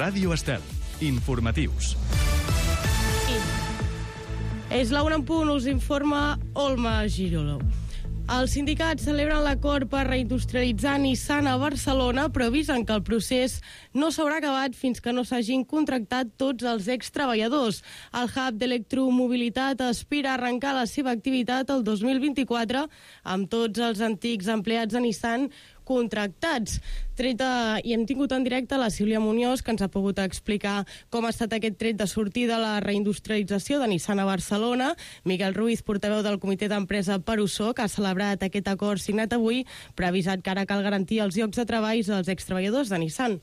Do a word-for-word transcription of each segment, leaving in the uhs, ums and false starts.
Ràdio Estel. Informatius. És la una en punt, us informa Olma Giroló. Els sindicats celebren l'acord per reindustrialitzar Nissan a Barcelona, però avisen que el procés no s'haurà acabat fins que no s'hagin contractat tots els extreballadors. El hub d'electromobilitat aspira a arrencar la seva activitat el dos mil vint-i-quatre amb tots els antics empleats de Nissan contractats. Treta, i hem tingut en directe la Sílvia Muñoz, que ens ha pogut explicar com ha estat aquest tret de sortida de la reindustrialització de Nissan a Barcelona. Miguel Ruiz, portaveu del comitè d'empresa per Uso, que ha celebrat aquest acord signat avui, però ha avisat que ara cal garantir els llocs de treball dels extreballadors de Nissan.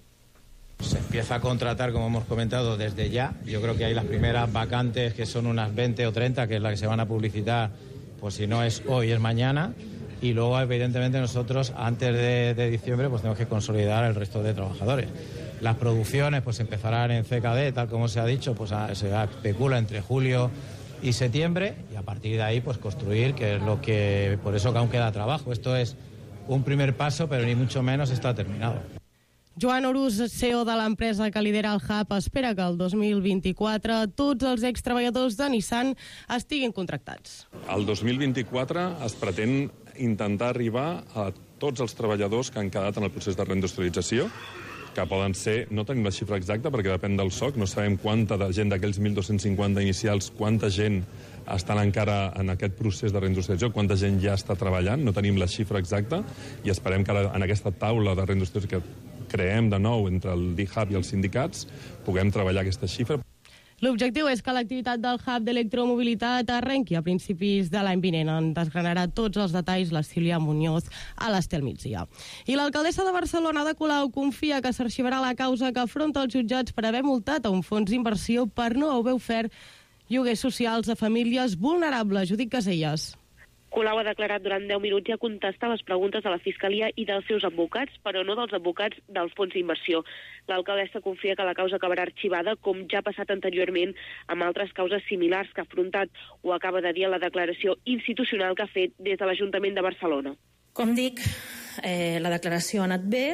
Se empieza a contratar, como hemos comentado, desde ya. Yo creo que hay las primeras vacantes, que son unas veinte o treinta, que es la que se van a publicitar, pues si no es hoy, es mañana. Y luego, evidentemente, nosotros, antes de, de diciembre, pues tenemos que consolidar el resto de trabajadores. Las producciones pues empezarán en C K D, tal como se ha dicho, pues a, se especula entre julio y septiembre, y a partir de ahí pues construir, que es lo que, por eso que aún queda trabajo. Esto es un primer paso, pero ni mucho menos está terminado. Joan Orús, C E O de l'empresa que lidera el hub, espera que el dos mil vint-i-quatre tots els extreballadors de Nissan estiguin contractats. El dos mil vint-i-quatre es pretén intentar arribar a tots els treballadors que han quedat en el procés de reindustrialització, que poden ser, no tenim la xifra exacta perquè depèn del S O C, no sabem quanta de gent d'aquells mil dos-cents cinquanta inicials, quanta gent estan encara en aquest procés de reindustrialització, quanta gent ja està treballant, no tenim la xifra exacta, i esperem que en aquesta taula de reindustrialització que creem de nou entre el D-Hub i els sindicats puguem treballar aquesta xifra. L'objectiu és que l'activitat del hub d'electromobilitat arrenqui a principis de l'any vinent. En desgranarà tots els detalls la Sílvia Muñoz a l'Estel Migdia. I l'alcaldessa de Barcelona, Ada Colau, confia que s'arxivarà la causa que afronta els jutjats per haver multat a un fons d'inversió per no haver ofert lloguers socials a famílies vulnerables. Judit Caselles. Colau ha declarat durant deu minuts i ha contestat les preguntes de la Fiscalia i dels seus advocats, però no dels advocats del fons d'inversió. L'alcaldessa confia que la causa acabarà arxivada, com ja ha passat anteriorment amb altres causes similars que ha afrontat, o acaba de dir a la declaració institucional que ha fet des de l'Ajuntament de Barcelona. Com dic, eh, la declaració ha anat bé,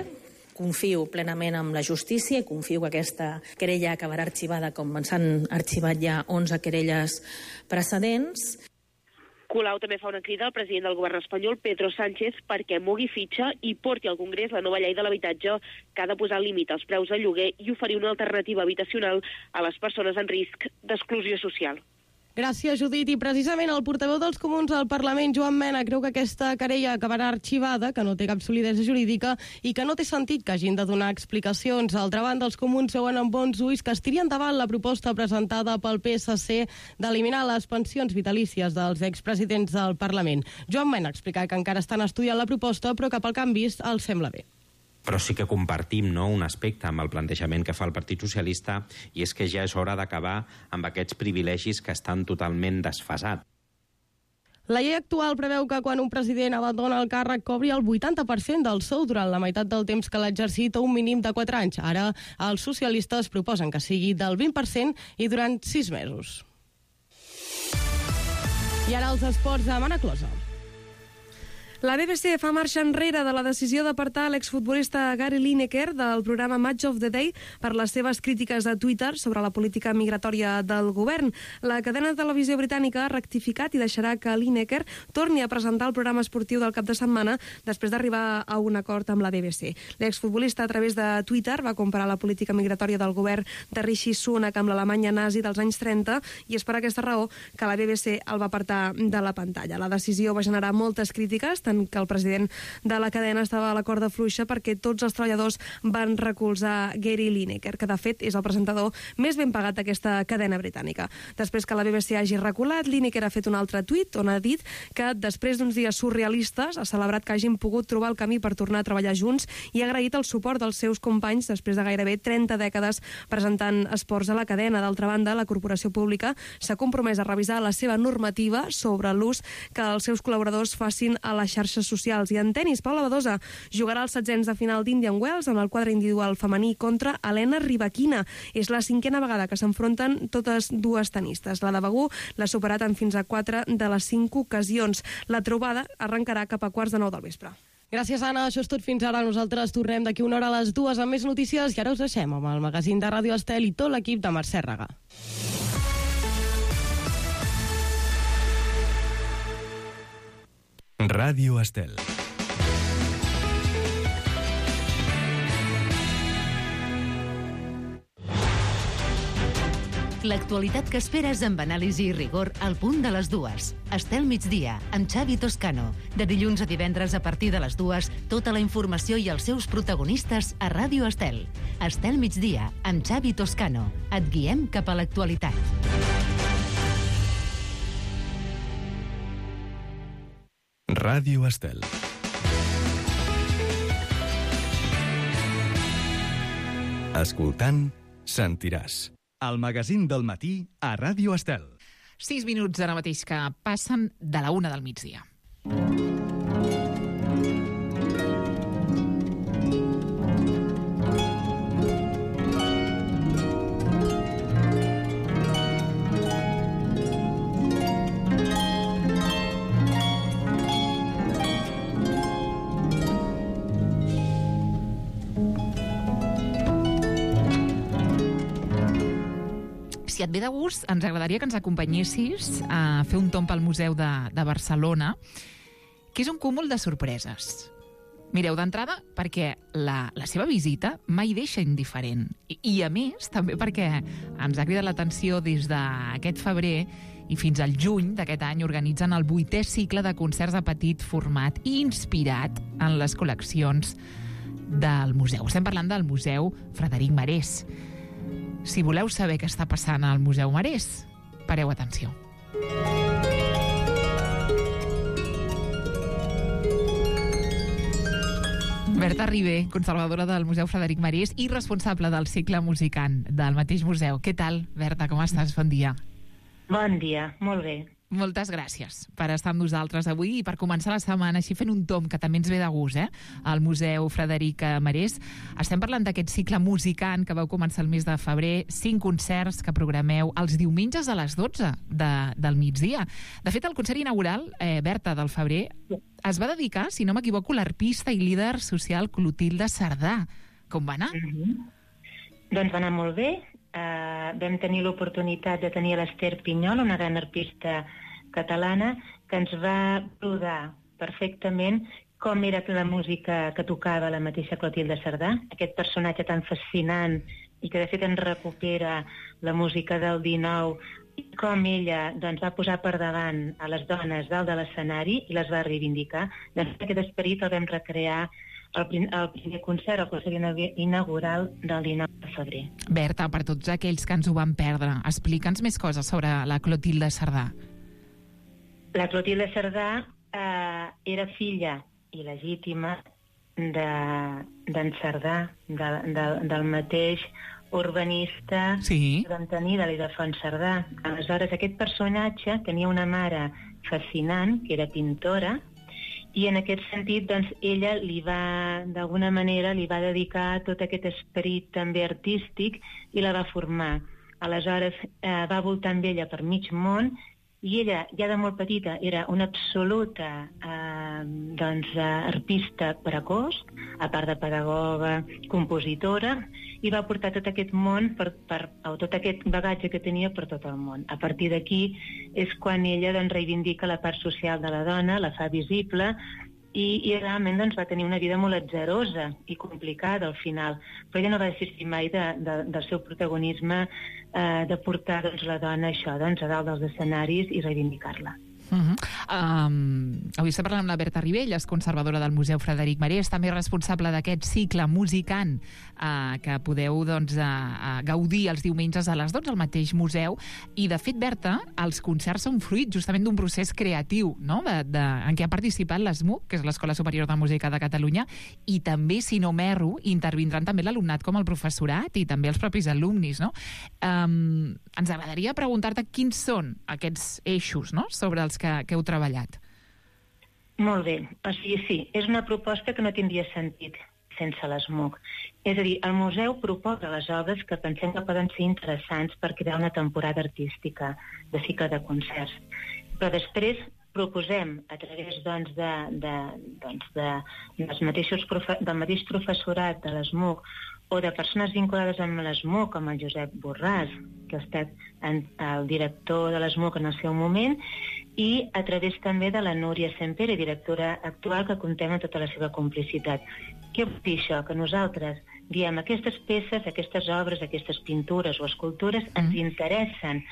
confio plenament en la justícia i confio que aquesta querella acabarà arxivada com s'han arxivat ja onze querelles precedents. Colau també fa una crida al president del govern espanyol, Pedro Sánchez, perquè mogui fitxa i porti al Congrés la nova llei de l'habitatge que ha de posar límit als preus de lloguer i oferir una alternativa habitacional a les persones en risc d'exclusió social. Gràcies, Judit. I precisament el portaveu dels Comuns al Parlament, Joan Mena, creu que aquesta querella acabarà arxivada, que no té cap solidesa jurídica i que no té sentit que hagin de donar explicacions. D'altra banda, els Comuns veuen amb bons ulls que es tiri endavant la proposta presentada pel P S C d'eliminar les pensions vitalícies dels expresidents del Parlament. Joan Mena explica que encara estan estudiant la proposta, però que pel que han vist els sembla bé. Però sí que compartim, no, un aspecte amb el plantejament que fa el Partit Socialista, i és que ja és hora d'acabar amb aquests privilegis que estan totalment desfasats. La llei actual preveu que quan un president abandona el càrrec cobri el vuitanta per cent del sou durant la meitat del temps que l'ha exercit a un mínim de quatre anys. Ara els socialistes proposen que sigui del vint per cent i durant sis mesos. I ara els esports de Mana Closa. La B B C fa marxa enrere de la decisió d'apartar l'exfutbolista Gary Lineker del programa Match of the Day per les seves crítiques a Twitter sobre la política migratòria del govern. La cadena de televisió britànica ha rectificat i deixarà que Lineker torni a presentar el programa esportiu del cap de setmana després d'arribar a un acord amb la B B C. L'exfutbolista, a través de Twitter, va comparar la política migratòria del govern de Rishi Sunak amb l'Alemanya nazi dels anys trenta i és per aquesta raó que la B B C el va apartar de la pantalla. La decisió va generar moltes crítiques, tant que el president de la cadena estava a la corda fluixa perquè tots els treballadors van recolzar Gary Lineker, que de fet és el presentador més ben pagat d'aquesta cadena britànica. Després que la B B C hagi reculat, Lineker ha fet un altre tuit on ha dit que després d'uns dies surrealistes ha celebrat que hagin pogut trobar el camí per tornar a treballar junts i ha agraït el suport dels seus companys després de gairebé trenta dècades presentant esports a la cadena. D'altra banda, la corporació pública s'ha compromès a revisar la seva normativa sobre l'ús que els seus col·laboradors facin a la xarxes socials. I en tenis, Paula Badosa jugarà els setzents de final d'Indian Wells en el quadre individual femení contra Elena Rybakina. És la cinquena vegada que s'enfronten totes dues tenistes. La de Begú l'ha superat en fins a quatre de les cinc ocasions. La trobada arrencarà cap a quarts de nou del vespre. Gràcies, Anna. Això és tot fins ara. Nosaltres tornem d'aquí una hora a les dues amb més notícies i ara us deixem amb el magazín de Ràdio Estel i tot l'equip de Mercè Ragà. Ràdio Estel. L'actualitat que esperes amb anàlisi i rigor al punt de les dues. Estel migdia, amb Xavi Toscano. De dilluns a divendres a partir de les dues, tota la informació i els seus protagonistes a Ràdio Estel. Estel migdia, amb Xavi Toscano. Et guiem cap a l'actualitat. Ràdio Estel. Escoltant, sentiràs. El magazín del matí a Ràdio Estel. Sis minuts ara mateix que passen de la una del migdia. Si et ve de gust, ens agradaria que ens acompanyessis a fer un tomb al Museu de, de Barcelona, que és un cúmul de sorpreses. Mireu, d'entrada, perquè la, la seva visita mai deixa indiferent. I, I, a més, també perquè ens ha cridat l'atenció des d'aquest febrer i fins al juny d'aquest any organitzen el vuitè cicle de concerts de petit format inspirat en les col·leccions del museu. Estem parlant del Museu Frederic Marès. Si voleu saber què està passant al Museu Marès, pareu atenció. Berta Ribé, conservadora del Museu Frederic Marès i responsable del cicle Musicant del mateix museu. Què tal, Berta? Com estàs? Bon dia. Bon dia, molt bé. Moltes gràcies per estar amb nosaltres avui i per començar la setmana així fent un tomb que també ens ve de gust, eh? Al Museu Frederic Marès. Estem parlant d'aquest cicle Musicant que vau començar el mes de febrer, cinc concerts que programeu els diumenges a les dotze de, del migdia. De fet, el concert inaugural, eh, Berta, del febrer, es va dedicar, si no m'equivoco, l'arpista i líder social Clotilde Cerdà. Com va anar? Mm-hmm. Doncs va anar molt bé. Uh, vam tenir l'oportunitat de tenir l'Ester Pinyol, una gran arpista catalana, que ens va rodar perfectament com era la música que tocava la mateixa Clotilde Cerdà, aquest personatge tan fascinant i que de fet ens recupera la música del dinou, i com ella doncs, va posar per davant a les dones dalt de l'escenari i les va reivindicar. Doncs aquest esperit el vam recrear El, prim, el primer concert, el concert inaugural del dinou de febrer. Berta, per tots aquells que ens ho van perdre, explica'ns més coses sobre la Clotilde Cerdà. La Clotilde Cerdà eh, era filla il·legítima d'en Cerdà, de, de, del mateix urbanista sí. que vam tenir de l'Ildefons Cerdà. Aleshores, aquest personatge tenia una mare fascinant, que era pintora, i en aquest sentit, doncs, ella li va, d'alguna manera, li va dedicar tot aquest esperit també artístic i la va formar. Aleshores, eh, va voltar amb ella per mig món i ella, ja de molt petita, era una absoluta eh, doncs, arpista precoç, a part de pedagoga, compositora, i va portar tot aquest món, per, per, o tot aquest bagatge que tenia per tot el món. A partir d'aquí és quan ella doncs, reivindica la part social de la dona, la fa visible, i, i realment doncs, va tenir una vida molt atzerosa i complicada al final. Però ella no va desistir mai de, de, del seu protagonisme eh, de portar doncs, la dona això, doncs, a dalt dels escenaris i reivindicar-la. Uh-huh. um, avui estem parlant amb la Berta Ribé, ella és conservadora del Museu Frederic Marès, també responsable d'aquest cicle Musicant uh, que podeu doncs, uh, uh, gaudir els diumenges a les dotze al mateix museu. I de fet, Berta, els concerts són fruit justament d'un procés creatiu, no? de, de, en què ha participat l'E S M U, que és l'Escola Superior de Música de Catalunya, i també, si no m'erro, intervindran també l'alumnat com el professorat i també els propis alumnis. No? Um, ens agradaria preguntar-te quins són aquests eixos, no? sobre els que, que heu treballat. Molt bé. O sigui, sí, és una proposta que no tindria sentit sense l'E S M U. És a dir, el museu proposa les obres que pensem que poden ser interessants per crear una temporada artística de cicle de concerts. Però després proposem a través doncs, de, de, doncs, de, dels mateixos profe del mateix professorat de l'ESMUC o de persones vinculades amb l'ESMUC, com el Josep Borràs, que ha estat en, el director de l'ESMUC en el seu moment, i a través també de la Núria Sempere, directora actual, que contem amb tota la seva complicitat. Què vol dir això? Que nosaltres diem aquestes peces, aquestes obres, aquestes pintures o escultures mm. ens interessen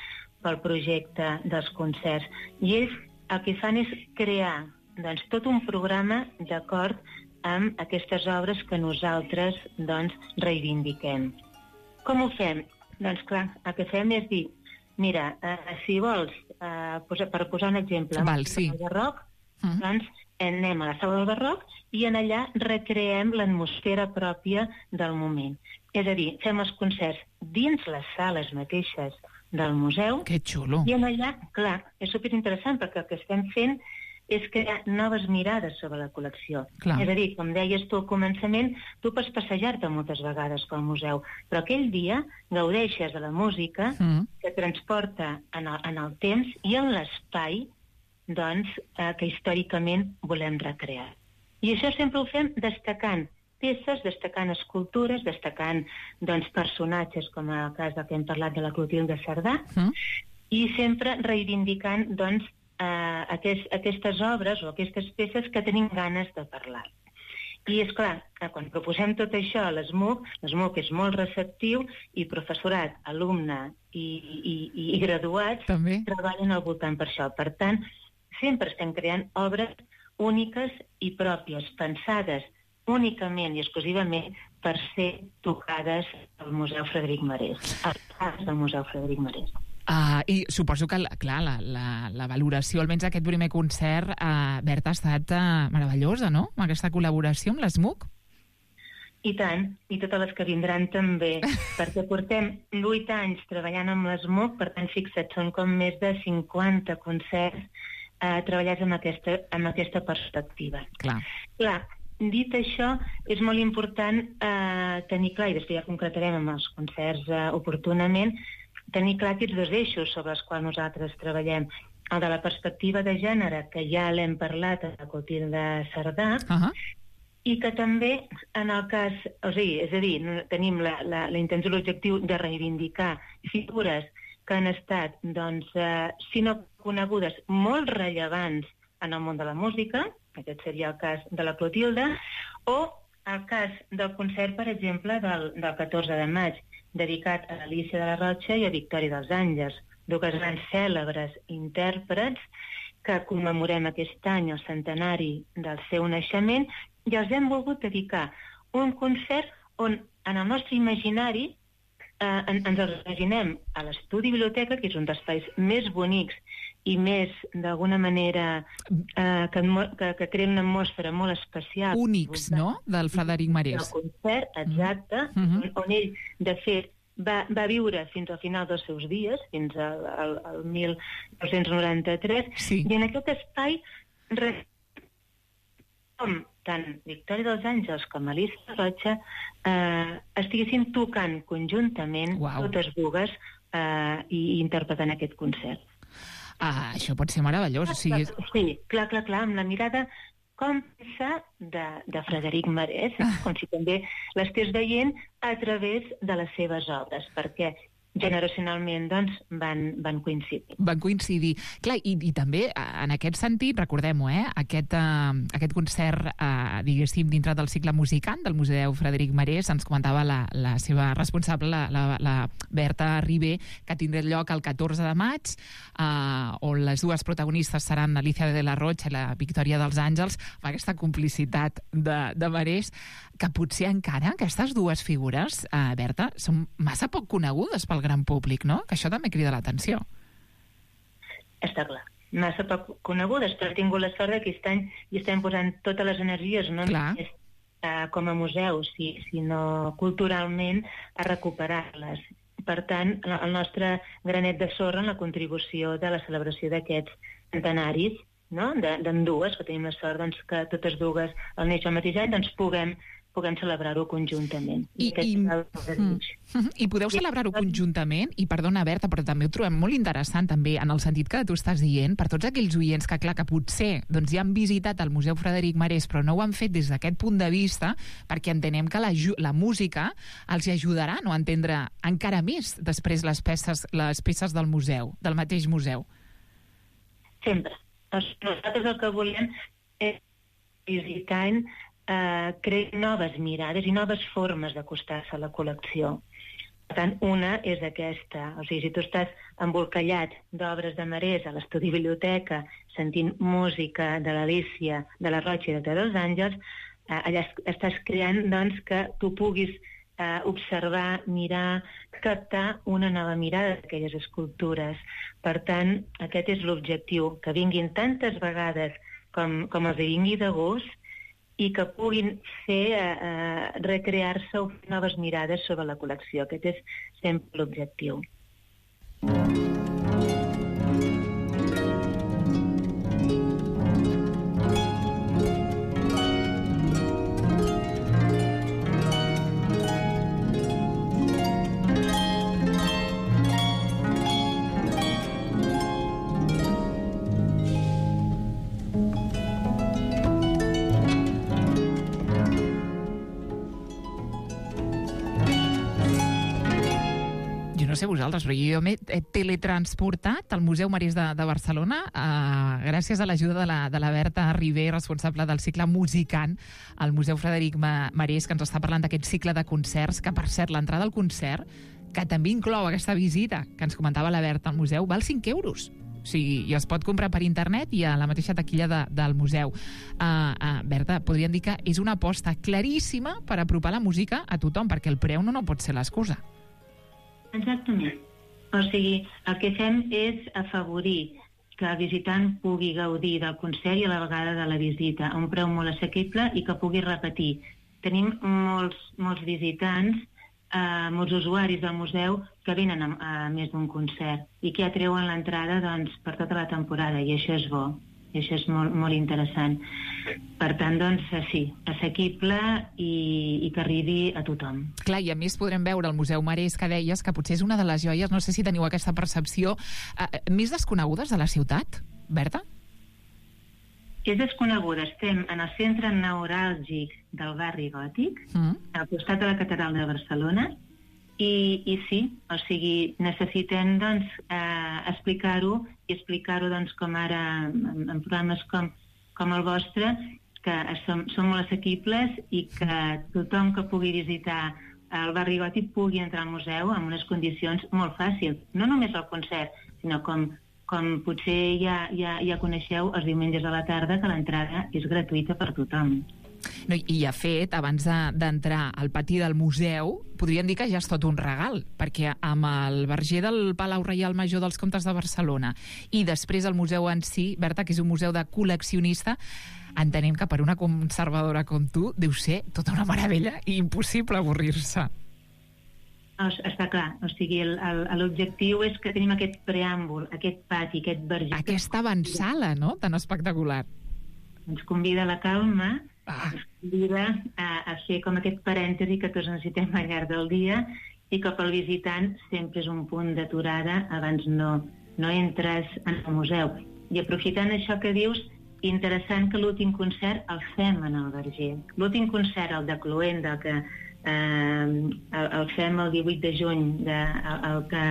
pel projecte dels concerts. I ells el que fan és crear doncs, tot un programa d'acord amb aquestes obres que nosaltres doncs, reivindiquem. Com ho fem? Doncs clar, el que fem és dir, mira, eh, si vols, eh, posa, per posar un exemple, Val, sí. el barroc, uh -huh. doncs anem a la sala del barroc i en allà recreem l'atmosfera pròpia del moment. És a dir, fem els concerts dins les sales mateixes del museu. Que xulo. I en allà, clar, és superinteressant perquè el que estem fent és crear noves mirades sobre la col·lecció. Clar. És a dir, com deies tu al començament, tu pots passejar-te moltes vegades pel museu, però aquell dia gaudeixes de la música mm. que transporta en el, en el temps i en l'espai doncs, eh, que històricament volem recrear. I això sempre ho fem destacant peces, destacant escultures, destacant doncs, personatges, com en el cas del que hem parlat de la Clotilde Cerdà, mm. i sempre reivindicant doncs, Uh, aquest, aquestes obres o aquestes peces que tenim ganes de parlar. I és clar, quan proposem tot això a l'ESMUC, l'ESMUC és molt receptiu i professorat, alumne i, i, i graduats també treballen al voltant per això. Per tant, sempre estem creant obres úniques i pròpies, pensades únicament i exclusivament per ser tocades al Museu Frederic Marès, al cas del Museu Frederic Marès. Uh, I suposo que, clar, la, la, la valoració, almenys aquest primer concert, uh, Berta, ha estat uh, meravellosa, no?, amb aquesta col·laboració amb l'ESMUC. I tant, i totes les que vindran també, perquè portem vuit anys treballant amb l'ESMUC, per tant, fixa't, són com més de cinquanta concerts uh, treballats amb aquesta, amb aquesta perspectiva. Clar. Clar, dit això, és molt important uh, tenir clar, i després ja concretarem amb els concerts uh, oportunament, tenir clar aquests dos eixos sobre els quals nosaltres treballem. El de la perspectiva de gènere, que ja l'hem parlat a la Clotilde Cerdà, uh -huh. i que també, en el cas... O sigui, és a dir, tenim la, la, la intenció, l'objectiu de reivindicar figures que han estat, doncs, eh, si no conegudes, molt rellevants en el món de la música, aquest seria el cas de la Clotilde, o el cas del concert, per exemple, del, del catorze de maig, dedicat a Alicia de la Rocha i a Victòria dels Àngels, dues grans cèlebres intèrprets que commemorem aquest any el centenari del seu naixement, i els hem volgut dedicar un concert on, en el nostre imaginari, eh, ens els imaginem a l'estudi biblioteca, que és un dels espais més bonics i més, d'alguna manera, eh, que, que, que crea una atmosfera molt especial. Únics, no?, del Frederic Marès. El concert, exacte, mm -hmm. on, on ell, de fet, va, va viure fins al final dels seus dies, fins al, al, al mil nou-cents noranta-tres, sí. I en aquest espai, com tant Victòria dels Àngels com Alicia Rocha eh, estiguessin tocant conjuntament, wow. totes dues, eh, i, i interpretant aquest concert. Ah, això pot ser meravellós. O sigui... Sí, clar, clar, clar, amb la mirada còmplice de, de Frederic Marès, com si també l'estigués veient a través de les seves obres, perquè generacionalment doncs, van, van coincidir. Van coincidir. Clar, i, i també, en aquest sentit, recordem-ho, eh, aquest, uh, aquest concert, uh, diguéssim, dintre del cicle musicant del Museu Frederic Marès, ens comentava la, la seva responsable, la, la, la Berta Ribé, que tindrà lloc el catorze de maig, uh, on les dues protagonistes seran Alicia de la Rocha i la Victòria dels Àngels, amb aquesta complicitat de, de Marès, que potser encara aquestes dues figures, uh, Berta, són massa poc conegudes pel gran públic, no? Que això també crida l'atenció. Està clar. Massa poc conegudes, però he tingut la sort que aquest any hi estem posant totes les energies, no només uh, com a museu, si, sinó culturalment, a recuperar-les. Per tant, el nostre granet de sorra en la contribució de la celebració d'aquests centenaris, no? d'ambdues, que tenim la sort doncs, que totes dues al néixer el mateix any, doncs puguem puguem celebrar-ho conjuntament. I, i, i, i podeu celebrar-ho conjuntament, i perdona, Berta, però també ho trobem molt interessant, també, en el sentit que tu estàs dient, per tots aquells oients que, clar, que potser doncs, ja han visitat el Museu Frederic Marès, però no ho han fet des d'aquest punt de vista, perquè entenem que la, la música els ajudarà no, a entendre encara més després les peces, les peces del museu, del mateix museu. Sempre. Nosaltres el que volem és visitant eh, crear noves mirades i noves formes d'acostar-se a la col·lecció. Per tant, una és aquesta. O sigui, si tu estàs embolcallat d'obres de Marès a l'estudi biblioteca, sentint música de l'Alícia, de la Roig i de dels Àngels, eh, allà estàs creant doncs, que tu puguis eh, observar, mirar, captar una nova mirada d'aquelles escultures. Per tant, aquest és l'objectiu, que vinguin tantes vegades com, com els vingui de gust i que puguin fer eh, recrear-se o fer noves mirades sobre la col·lecció. Aquest és sempre l'objectiu. No sé vosaltres, però jo m'he teletransportat al Museu Marès de, de Barcelona eh, gràcies a l'ajuda de, la, de la Berta Ribé, responsable del cicle Musicant al Museu Frederic Marès, que ens està parlant d'aquest cicle de concerts, que per cert, l'entrada al concert, que també inclou aquesta visita que ens comentava la Berta al museu, val cinc euros. O sigui, i es pot comprar per internet i a la mateixa taquilla de, del museu. Uh, uh, Berta, podríem dir que és una aposta claríssima per apropar la música a tothom, perquè el preu no, no pot ser l'excusa. Exactament. O sigui, el que fem és afavorir que el visitant pugui gaudir del concert i a la vegada de la visita a un preu molt assequible i que pugui repetir. Tenim molts, molts visitants, eh, molts usuaris del museu que venen a, a més d'un concert i que ja treuen l'entrada doncs, per tota la temporada, i això és bo. I això és molt, molt interessant. Per tant, doncs, sí, assequible i, i que arribi a tothom. Clar, i a més podrem veure el Museu Marès, que deies, que potser és una de les joies, no sé si teniu aquesta percepció, eh, més desconegudes de la ciutat, Berta? És desconeguda. Estem en el centre neuràlgic del barri gòtic, mm. al costat de la Catedral de Barcelona, I, i sí, o sigui, necessitem doncs, eh, explicar-ho i explicar-ho doncs, com ara en, en programes com, com el vostre, que som, som molt assequibles i que tothom que pugui visitar el barri gòtic pugui entrar al museu en unes condicions molt fàcils. No només el concert, sinó com, com potser ja, ja, ja coneixeu els diumenges a la tarda, que l'entrada és gratuïta per tothom. No, i de fet, abans d'entrar al pati del museu, podríem dir que ja és tot un regal, perquè amb el verger del Palau Reial Major dels Comtes de Barcelona i després el museu en si, Berta, que és un museu de col·leccionista, entenem que per una conservadora com tu deu ser tota una meravella i impossible avorrir-se. Està clar, o sigui, l'objectiu és que tenim aquest preàmbul, aquest pati, aquest verger... Aquesta avançala, no?, tan espectacular. Ens convida a la calma, ah. ens convida a, a fer com aquest parèntesi que tots necessitem al llarg del dia i que pel visitant sempre és un punt d'aturada abans no, no entres en el museu. I aprofitant això que dius, interessant que l'últim concert el fem en el verger. L'últim concert, el de Cluenda, el que eh, el, el fem el divuit de juny, de, el, el que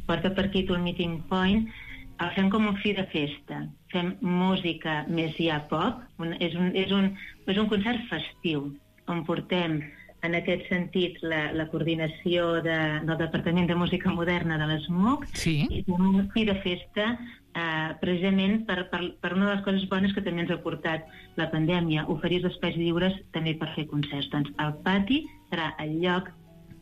porta per títol Meeting Point, el fem com un fi de festa. Fem música més ja pop, un, és, un, és, un, és un concert festiu, on portem en aquest sentit la, la coordinació de, del Departament de Música Moderna de l'ESMUC, sí. I un fi de festa eh, precisament per, per, per una de les coses bones que també ens ha portat la pandèmia, oferir els espais lliures també per fer concerts. Doncs el pati serà el lloc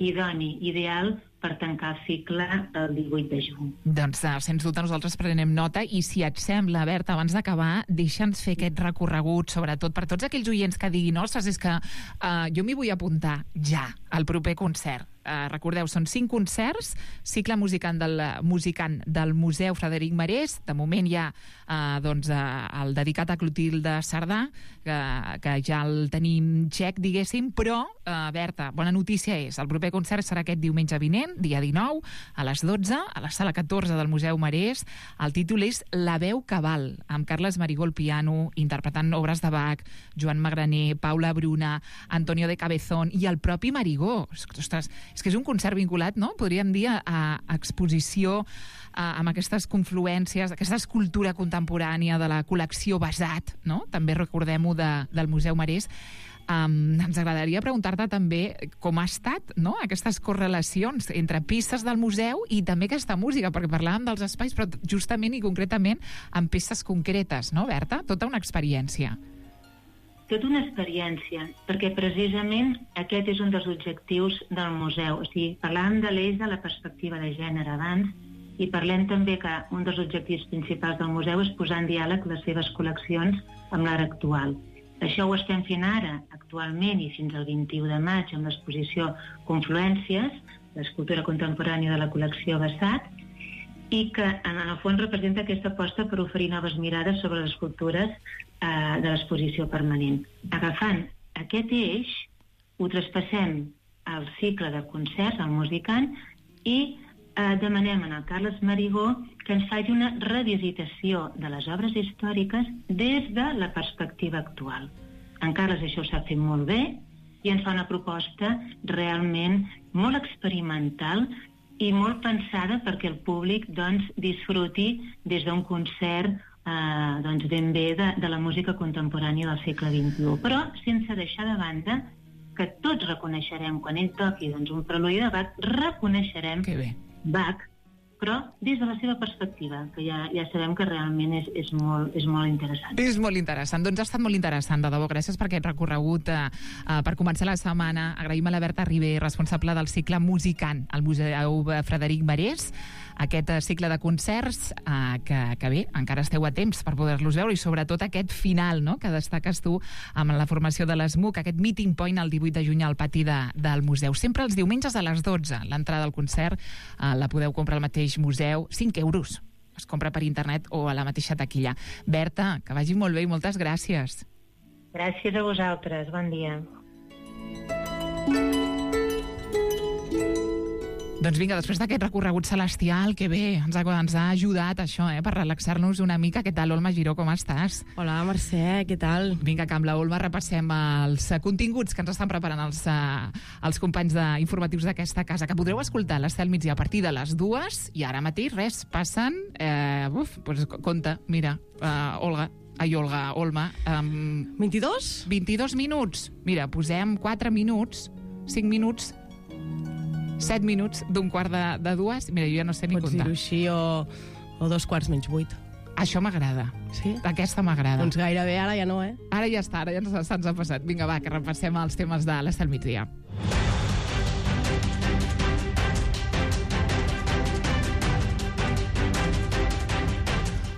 idoni, ideal, per tancar el cicle el divuit de juny. Doncs, sens dubte, nosaltres prenem nota i si et sembla, Berta, abans d'acabar, deixa'ns fer aquest recorregut, sobretot per tots aquells oients que diguin, ostres, és que uh, jo m'hi vull apuntar ja al proper concert. eh, recordeu, són cinc concerts, cicle musicant del, musicant del Museu Frederic Marès. De moment hi ha eh, doncs, eh, el dedicat a Clotilde Cerdà, que, que ja el tenim txec, diguéssim, però, eh, Berta, bona notícia és, el proper concert serà aquest diumenge vinent, dia dinou, a les dotze, a la sala catorze del Museu Marès. El títol és La veu que val, amb Carles Marigó al piano, interpretant obres de Bach, Joan Magraner, Paula Bruna, Antonio de Cabezón i el propi Marigó. Ostres, és que és un concert vinculat, no?, podríem dir, a, a exposició, a, amb aquestes confluències, aquesta escultura contemporània de la col·lecció Basat, no?, també recordem-ho de, del Museu Marès. Um, ens agradaria preguntar-te també com ha estat, no?, aquestes correlacions entre peces del museu i també aquesta música, perquè parlàvem dels espais, però justament i concretament amb peces concretes, no, Berta? Tota una experiència. Tota una experiència, perquè precisament aquest és un dels objectius del museu. O sigui, parlàvem de l'eix de la perspectiva de gènere abans i parlem també que un dels objectius principals del museu és posar en diàleg les seves col·leccions amb l'art actual. Això ho estem fent ara, actualment, i fins al vint-i-u de maig, amb l'exposició Confluències, l'escultura contemporània de la col·lecció Basat, i que en el fons representa aquesta aposta per oferir noves mirades sobre les escultures eh, de l'exposició permanent. Agafant aquest eix, ho traspassem al cicle de concerts, al musicant, i eh, demanem al Carles Marigó que ens faci una revisitació de les obres històriques des de la perspectiva actual. En Carles això ho sap fer molt bé i ens fa una proposta realment molt experimental i molt pensada perquè el públic doncs, disfruti des d'un concert eh, doncs, ben bé de, de la música contemporània del segle vint-i-u. Però sense deixar de banda que tots reconeixerem, quan ell toqui doncs, un preludi de Bach, reconeixerem Bach, però des de la seva perspectiva, que ja, ja sabem que realment és, és, molt, és molt interessant. És molt interessant. Doncs ha estat molt interessant, de debò. Gràcies per aquest recorregut. Eh, eh, per començar la setmana, agraïm a la Berta Ribé, responsable del cicle Musicant al Museu Frederic Marès, aquest cicle de concerts eh, que, que bé, encara esteu a temps per poder-los veure, i sobretot aquest final, no?, que destaques tu amb la formació de l'ESMUC, aquest meeting point el divuit de juny al pati de, del museu. Sempre els diumenges a les dotze. L'entrada al concert eh, la podeu comprar al mateix museu, cinc euros. Es compra per internet o a la mateixa taquilla. Berta, que vagi molt bé i moltes gràcies. Gràcies a vosaltres. Bon dia. Doncs vinga, després d'aquest recorregut celestial, que bé, ens ha, ens ha ajudat això, eh, per relaxar-nos una mica. Què tal, Olma Giró, com estàs? Hola, Mercè, què tal? Vinga, que amb la Olma repassem els uh, continguts que ens estan preparant els, uh, els companys de, informatius d'aquesta casa, que podreu escoltar a l'Estel Migdia a partir de les dues, i ara mateix, res, passen... Eh, uf, doncs compte, mira, uh, Olga, ai, Olga, Olma... Um, vint-i-dos? vint-i-dos minuts. Mira, posem quatre minuts, cinc minuts... set minuts d'un quart de, de dues. Mira, jo ja no sé ni Pots comptar. Pots dir-ho així o, o dos quarts menys vuit. Això m'agrada. Sí? Aquesta m'agrada. Doncs gairebé, ara ja no, eh? Ara ja està, ara ja ens, se'ns ha passat. Vinga, va, que repassem els temes de l'Estel Migdia.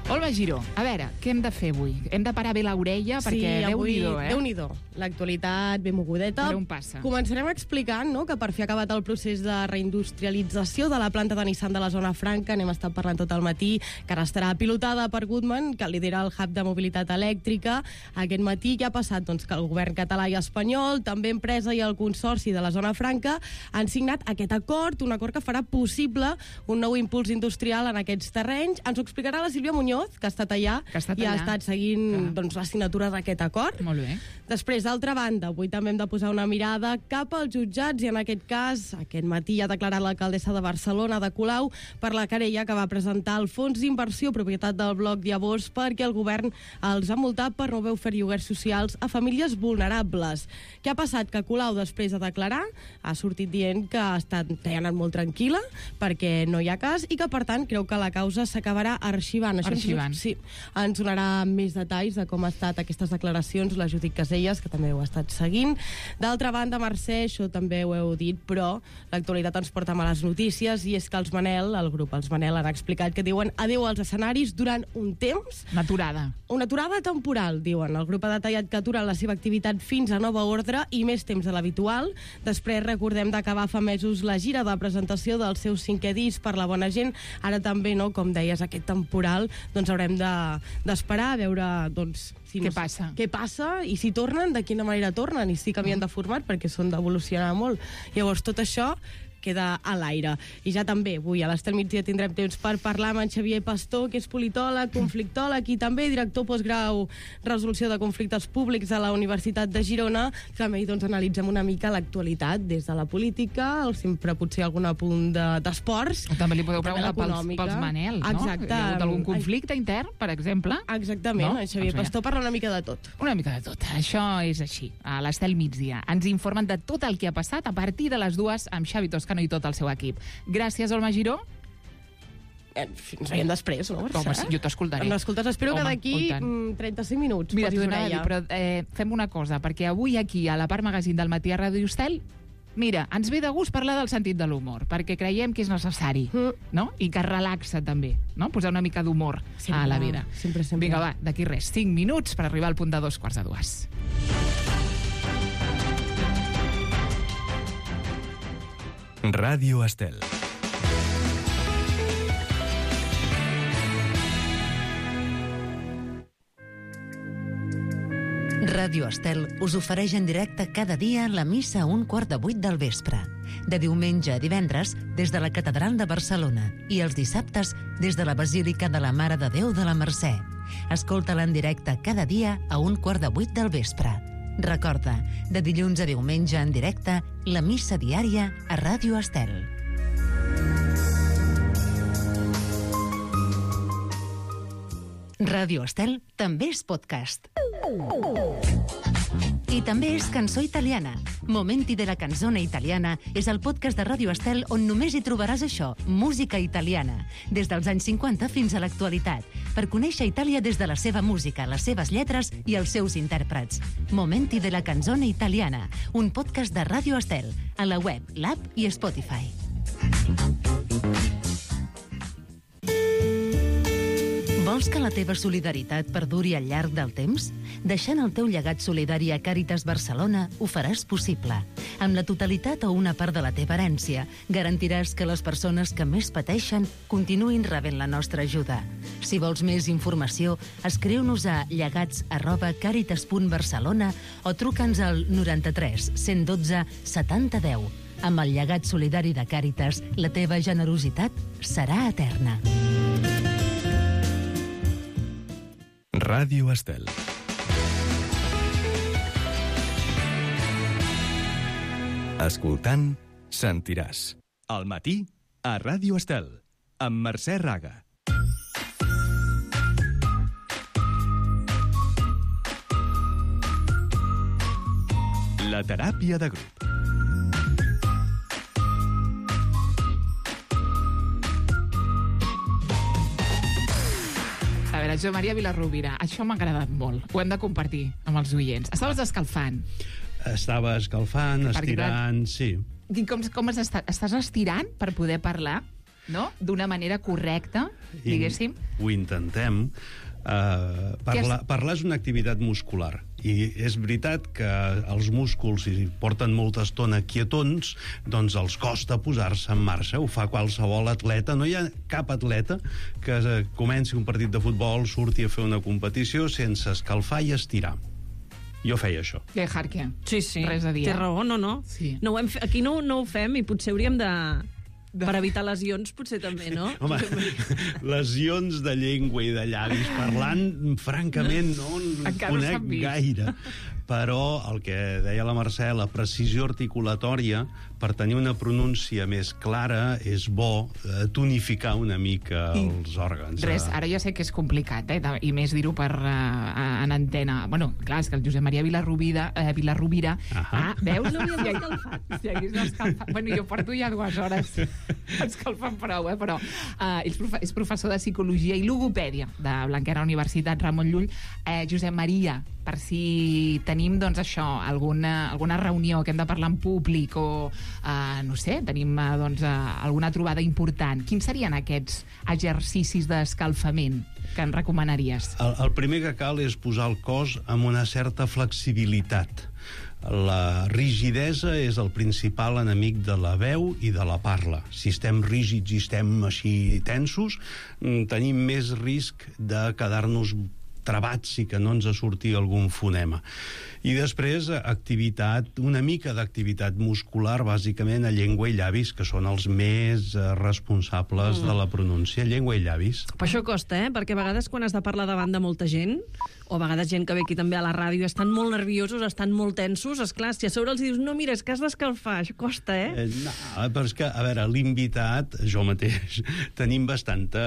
Olma Giró, a veure, què hem de fer avui? Hem de parar bé l'orella, Sí, perquè avui, Déu-n'hi-do, eh? Déu-n'hi-do. L'actualitat ben mogudeta. Per on passa? Començarem explicant, no?, que per fi ha acabat el procés de reindustrialització de la planta de Nissan de la zona franca. N'hem estat parlant tot el matí, que ara estarà pilotada per Goodman, que lidera el hub de mobilitat elèctrica. Aquest matí ja ha passat doncs, que el govern català i espanyol, també empresa i el consorci de la zona franca, han signat aquest acord, un acord que farà possible un nou impuls industrial en aquests terrenys. Ens ho explicarà la Sílvia Muñoz, que ha estat allà que ha estat i allà. ha estat seguint doncs, la signatura d'aquest acord. Molt bé. Després, d'altra banda, avui també hem de posar una mirada cap als jutjats i en aquest cas, aquest matí ha declarat l'alcaldessa de Barcelona, de Colau, per la querella que va presentar el fons d'inversió propietat del bloc Llavors perquè el govern els ha multat per no haver ofert lloguers socials a famílies vulnerables. Què ha passat? Que Colau, després de declarar, ha sortit dient que ha, estat, que ha anat molt tranquil·la perquè no hi ha cas i que, per tant, creu que la causa s'acabarà arxivant. Això ens Ivan. Sí, ens donarà més detalls de com ha estat aquestes declaracions la Judit Caselles, que també ho ha estat seguint. D'altra banda, Mercè, això també ho heu dit, però l'actualitat ens porta males notícies, i és que els Manel, el grup Els Manel, han explicat que diuen adeu als escenaris durant un temps. Una aturada. Una aturada temporal, diuen. El grup ha detallat que aturen la seva activitat fins a nova ordre i més temps de l'habitual. Després, recordem d'acabar fa mesos la gira de presentació del seu cinquè disc, Per la bona gent. Ara també, no, com deies, aquest temporal, doncs haurem de, d'esperar a veure, doncs, si què no, passa. Què passa i si tornen, de quina manera tornen, i si canvien de format, perquè són d'evolucionar molt. Llavors, tot això queda a l'aire. I ja també, avui a l'Estel Migdia tindrem temps per parlar amb en Xavier Pastor, que és politòleg, conflictòleg i també director postgrau Resolució de Conflictes Públics a la Universitat de Girona. També doncs, analitzem una mica l'actualitat des de la política, sempre potser algun apunt d'esports. De, també li podeu preguntar pels, pels Manel, no? Exacte. Hi ha hagut algun conflicte intern, per exemple? Exactament, no? En Xavier doncs Pastor parla una mica de tot. Una mica de tot. Això és així. A l'Estel Migdia ens informen de tot el que ha passat a partir de les dues amb Xavi Toscano i tot el seu equip. Gràcies, Olma Giró. Eh, ens veiem després, no? Home, sí, jo t'escoltaré. M'escoltes, espero Home, que d'aquí trenta-cinc minuts. Mira, t'ho posis anava a dir, orella. però eh, fem una cosa, perquè avui aquí, a la part magazín del matí a Ràdio Estel, mira, ens ve de gust parlar del sentit de l'humor, perquè creiem que és necessari, mm. no? I que relaxa també, no? Posar una mica d'humor a la vida. Sempre, sempre. Vinga, va, d'aquí res, cinc minuts per arribar al punt de dos quarts de dues. Ràdio Estel. Ràdio Estel us ofereix en directe cada dia la missa a un quart de vuit del vespre. De diumenge a divendres, des de la Catedral de Barcelona, i els dissabtes, des de la Basílica de la Mare de Déu de la Mercè. Escolta-la en directe cada dia a un quart de vuit del vespre. Recorda, de dilluns a diumenge en directe, la missa diària a Ràdio Estel. Ràdio Estel també és podcast. I també és cançó italiana. Momenti de la canzone italiana és el podcast de Ràdio Estel on només hi trobaràs això, música italiana, des dels anys cinquanta fins a l'actualitat, per conèixer Itàlia des de la seva música, les seves lletres i els seus intèrprets. Momenti de la canzone italiana, un podcast de Ràdio Estel, a la web, l'app i Spotify. Vols que la teva solidaritat perduri al llarg del temps? Deixant el teu llegat solidari a Càritas Barcelona ho faràs possible. Amb la totalitat o una part de la teva herència, garantiràs que les persones que més pateixen continuïn rebent la nostra ajuda. Si vols més informació, escriu-nos a llegats arroba càritas punt barcelona o truca'ns al noranta-tres cent dotze setanta deu. Amb el llegat solidari de Càritas, la teva generositat serà eterna. Ràdio Estel. Escoltant, sentiràs. Al matí, a Ràdio Estel, amb Mercè Raga. La teràpia de grup. A veure, Jo Maria Vilarrubira, això m'ha agradat molt. Ho hem de compartir amb els oients. Estaves escalfant. Estava escalfant, estirant, sí. I com, com has estat? Estàs estirant per poder parlar, no? D'una manera correcta, diguéssim. I ho intentem. Uh, parlar, parlar és una activitat muscular i és veritat que els músculs, si porten molta estona quietons, doncs els costa posar-se en marxa. Ho fa qualsevol atleta. No hi ha cap atleta que comenci un partit de futbol, surti a fer una competició sense escalfar i estirar. Jo feia això. Bé, Harkia. Sí, sí. Res a dir. Té raó, no, no. Sí. no ho hem fe... Aquí no, no ho fem i potser hauríem de... Per evitar lesions, potser també, no? Home, lesions de llengua i de llavis parlant, francament, no en Encara no conec gaire. però el que deia la Mercè, la precisió articulatòria, per tenir una pronúncia més clara, és bo eh, tonificar una mica I els òrgans. Res, ara ja sé que és complicat, eh? I més dir-ho per uh, en antena. Bueno, clar, és que el Josep Maria Vilarrubira, eh, Vilarrubira... Ah, veus? No m'hi havia escalfat. Si hagués escalfat... Bueno, jo porto ja dues hores escalfant prou, eh? Però uh, és, profe és professor de Psicologia i Logopèdia de Blanquerna Universitat Ramon Llull. Eh, Josep Maria, per si tenim, doncs, això, alguna, alguna reunió que hem de parlar en públic o, uh, no sé, tenim, uh, doncs, uh, alguna trobada important, quins serien aquests exercicis d'escalfament que ens recomanaries? El, el primer que cal és posar el cos amb una certa flexibilitat. La rigidesa és el principal enemic de la veu i de la parla. Si estem rígids i estem així tensos, tenim més risc de quedar-nos trebats i que no ens surti algun fonema. I després, activitat, una mica d'activitat muscular, bàsicament a llengua i llavis, que són els més responsables mm. de la pronúncia. Llengua i llavis. Però això costa, eh? Perquè a vegades quan has de parlar davant de molta gent, o a vegades gent que ve aquí també a la ràdio, estan molt nerviosos, estan molt tensos, esclar, si a sobre els dius, no, mira, és que has d'escalfar, això costa, eh? eh no, però és que, a veure, l'invitat, jo mateix, tenim bastanta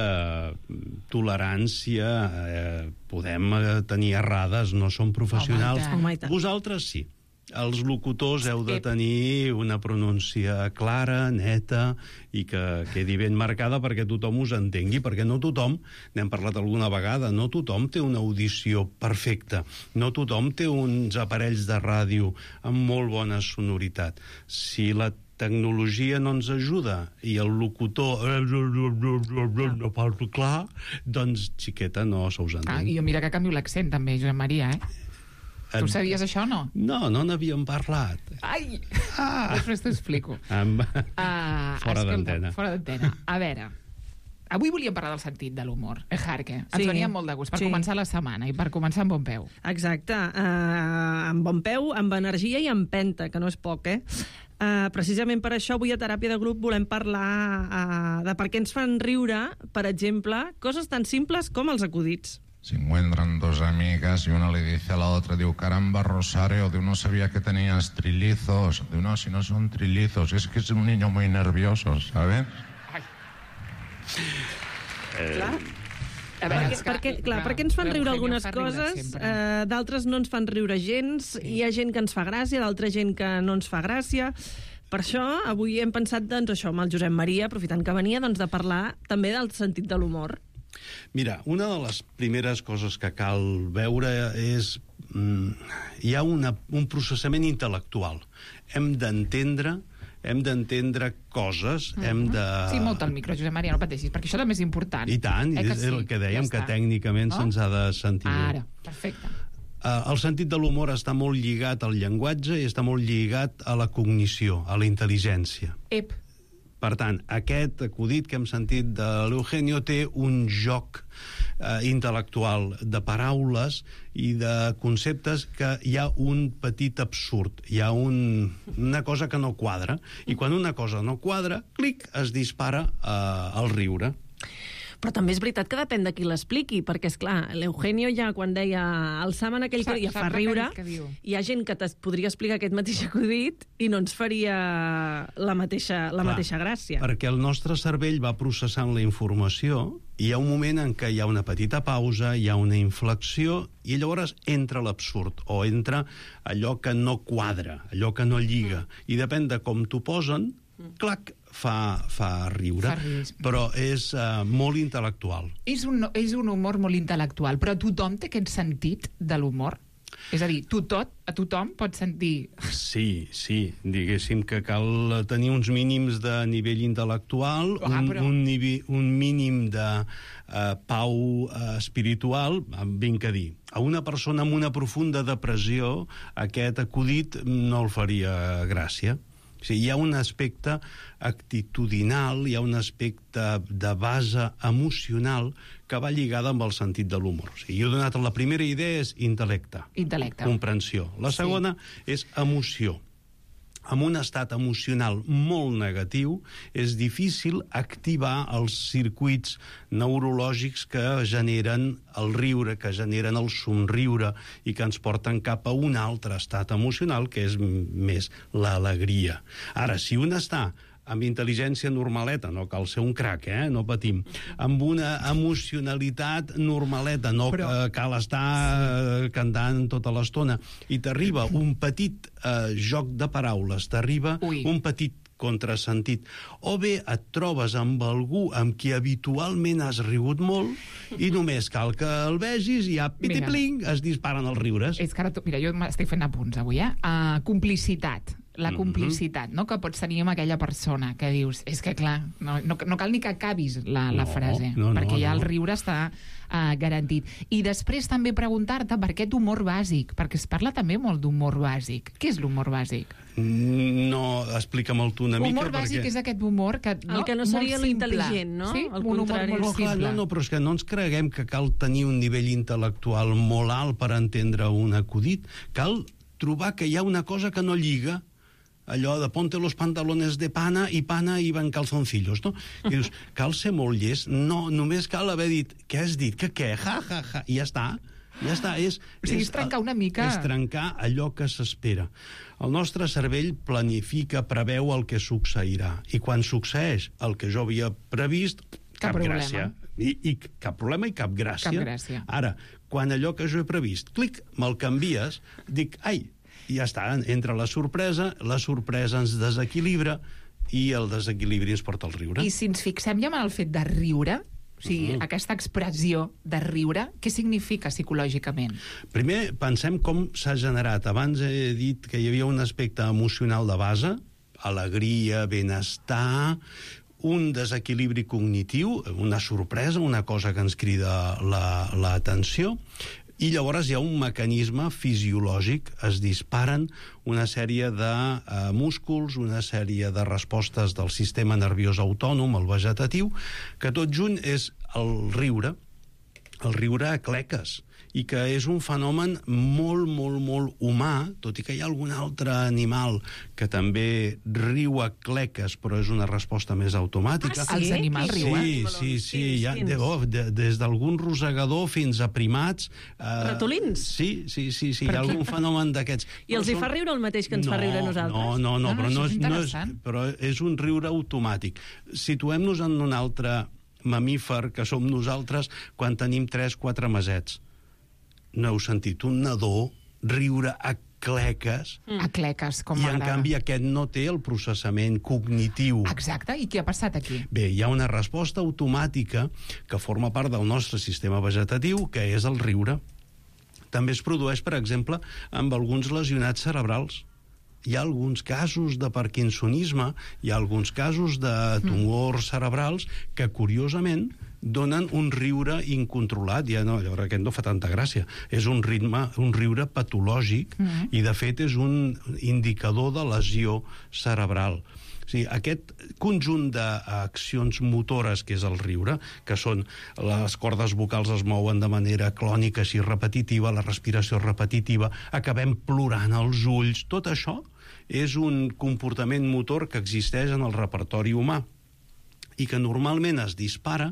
tolerància, eh, podem tenir errades, no som professionals. Oh, my God. Vosaltres sí. Els locutors heu de tenir una pronúncia clara, neta, i que quedi ben marcada perquè tothom us entengui, perquè no tothom, n'hem parlat alguna vegada, no tothom té una audició perfecta, no tothom té uns aparells de ràdio amb molt bona sonoritat. Si la tecnologia no ens ajuda i el locutor no parla clar, doncs, xiqueta, no se us entén. Ah, i jo mira que canvio l'accent també, Josep Maria, eh? Tu sabies això o no? No, no n'havíem parlat. Ai! Ah. Després t'ho explico. Amb... Uh, fora d'antena. Fora d'antena. A veure, avui volíem parlar del sentit de l'humor. Eh, Jarque? Ens Sí. venia molt de gust per Sí. començar la setmana i per començar amb bon peu. Exacte, uh, amb bon peu, amb energia i amb empenta, que no és poc, eh? Uh, precisament per això avui a Teràpia de Grup volem parlar uh, de per què ens fan riure, per exemple, coses tan simples com els acudits. Se encuentran dos amigas y una le dice a la otra, digo, caramba, Rosario, de uno sabía que tenías trillizos, de uno si no son trillizos, es que es un niño muy nervioso, ¿sabes? Ai. Eh... Clar. A Perquè, veure, és que, perquè, clar, perquè ens fan riure l'Eugenio algunes fa riure coses, sempre. eh, d'altres no ens fan riure gens, sí. Hi ha gent que ens fa gràcia, d'altra gent que no ens fa gràcia. Per això, avui hem pensat, doncs, això, amb el Josep Maria, aprofitant que venia, doncs, de parlar també del sentit de l'humor. Mira, una de les primeres coses que cal veure és... Mm, hi ha una, un processament intel·lectual. Hem d'entendre hem d'entendre coses, mm -hmm. hem de... Sí, molt al micro, Josep Maria, no pateixis, perquè això també és important. I tant, eh, és sí? el que dèiem, ja que tècnicament no? se'ns ha de sentir. Ara, perfecte. Uh, el sentit de l'humor està molt lligat al llenguatge i està molt lligat a la cognició, a la intel·ligència. Ep. Per tant, aquest acudit que hem sentit de l'Eugenio té un joc eh, intel·lectual de paraules i de conceptes que hi ha un petit absurd, hi ha un, una cosa que no quadra, i quan una cosa no quadra, clic, es dispara eh, el riure. Però també és veritat que depèn de qui l'expliqui, perquè, és clar, l'Eugenio ja, quan deia el Samen aquell que ja fa riure, hi ha gent que es podria explicar aquest mateix acudit i no ens faria la mateixa, la clar, mateixa gràcia. Perquè el nostre cervell va processant la informació i hi ha un moment en què hi ha una petita pausa, hi ha una inflexió, i llavors entra l'absurd, o entra allò que no quadra, allò que no lliga. I depèn de com t'ho posen, clac, fa, fa riure, fa riure. Però és uh, molt intel·lectual. És un, és un humor molt intel·lectual, però tothom té aquest sentit de l'humor? És a dir, tu tot, a tothom pot sentir... Sí, sí, diguéssim que cal tenir uns mínims de nivell intel·lectual, ah, però... un, un, nivell, un mínim de uh, pau uh, espiritual, vinc a dir. A una persona amb una profunda depressió, aquest acudit no el faria gràcia. O sigui, hi ha un aspecte actitudinal, hi ha un aspecte de base emocional que va lligada amb el sentit de l'humor. O sigui, jo he donat la primera idea és intel·lecte. Intel·lecte. Comprensió. La segona sí. és emoció. amb un estat emocional molt negatiu, és difícil activar els circuits neurològics que generen el riure, que generen el somriure i que ens porten cap a un altre estat emocional, que és més l'alegria. Ara, si un està amb intel·ligència normaleta, no cal ser un crac, eh? No patim, amb una emocionalitat normaleta, no Però... eh, cal estar eh, cantant tota l'estona, i t'arriba un petit eh, joc de paraules, t'arriba Ui. un petit contrasentit, o bé et trobes amb algú amb qui habitualment has rigut molt i només cal que el vegis i ja piti-pling, es disparen els riures. És que ara, tu, mira, jo m'estic fent apunts avui, eh? Uh, complicitat. La complicitat, no?, que pots tenir amb aquella persona que dius, és que clar, no, no, no cal ni que acabis la, la no, frase, no, no, perquè ja no. el riure està uh, garantit. I després també preguntar-te per aquest humor bàsic, perquè es parla també molt d'humor bàsic. Què és l'humor bàsic? No, explica'm-el tu una mica. Humor bàsic perquè... és aquest humor que... No? El que no seria l'intel·ligent, no? Sí, el un humor molt no, clar, simple. no, no, però és que no ens creguem que cal tenir un nivell intel·lectual molt alt per entendre un acudit. Cal trobar que hi ha una cosa que no lliga, allò de ponte los pantalones de pana i pana i van calzoncillos, no? I dius, cal ser molt llest? No, només cal haver dit, què has dit? Que què? Ja, ja, ja, i ja està. Ja està, és... O sigui, és trencar una mica... És trencar allò que s'espera. El nostre cervell planifica, preveu el que succeirà. I quan succeeix el que jo havia previst, cap, cap gràcia. I, I cap problema i cap gràcia. Cap gràcia. Ara, quan allò que jo he previst, clic, me'l canvies, dic, ai, i ja està, entra la sorpresa, la sorpresa ens desequilibra i el desequilibri ens porta al riure. I si ens fixem ja en el fet de riure, o sigui, mm. aquesta expressió de riure, què significa psicològicament? Primer, pensem com s'ha generat. Abans he dit que hi havia un aspecte emocional de base, alegria, benestar, un desequilibri cognitiu, una sorpresa, una cosa que ens crida l'atenció, la, i llavors hi ha un mecanisme fisiològic, es disparen una sèrie de eh, músculs, una sèrie de respostes del sistema nerviós autònom, el vegetatiu, que tot junt és el riure, el riure a cleques, i que és un fenomen molt, molt, molt humà, tot i que hi ha algun altre animal que també riu a cleques, però és una resposta més automàtica. Ah, sí? Els animals riuen? Sí, sí, sí, hi ha, de, oh, de, des d'algun rosegador fins a primats. Eh, Ratolins? Sí, sí, sí, sí, hi ha algun fenomen d'aquests. I els hi fa riure el mateix que ens no, fa riure a nosaltres? No, no, no, no, però, no és, és, no és, però és un riure automàtic. Situem-nos en un altre mamífer que som nosaltres quan tenim tres quatre mesets. No heu sentit un nadó riure a cleques? Mm. A cleques, com I m'agrada. en canvi aquest no té el processament cognitiu. Exacte, i què ha passat aquí? Bé, hi ha una resposta automàtica que forma part del nostre sistema vegetatiu, que és el riure. També es produeix, per exemple, amb alguns lesionats cerebrals. Hi ha alguns casos de parkinsonisme, hi ha alguns casos de tumors cerebrals que, curiosament, donen un riure incontrolat. Ja no, llavors aquest no fa tanta gràcia. És un ritme, un riure patològic mm. i, de fet, és un indicador de lesió cerebral. O sigui, aquest conjunt d'accions motores que és el riure, que són les cordes vocals es mouen de manera clònica, així repetitiva, la respiració repetitiva, acabem plorant els ulls, tot això és un comportament motor que existeix en el repertori humà i que normalment es dispara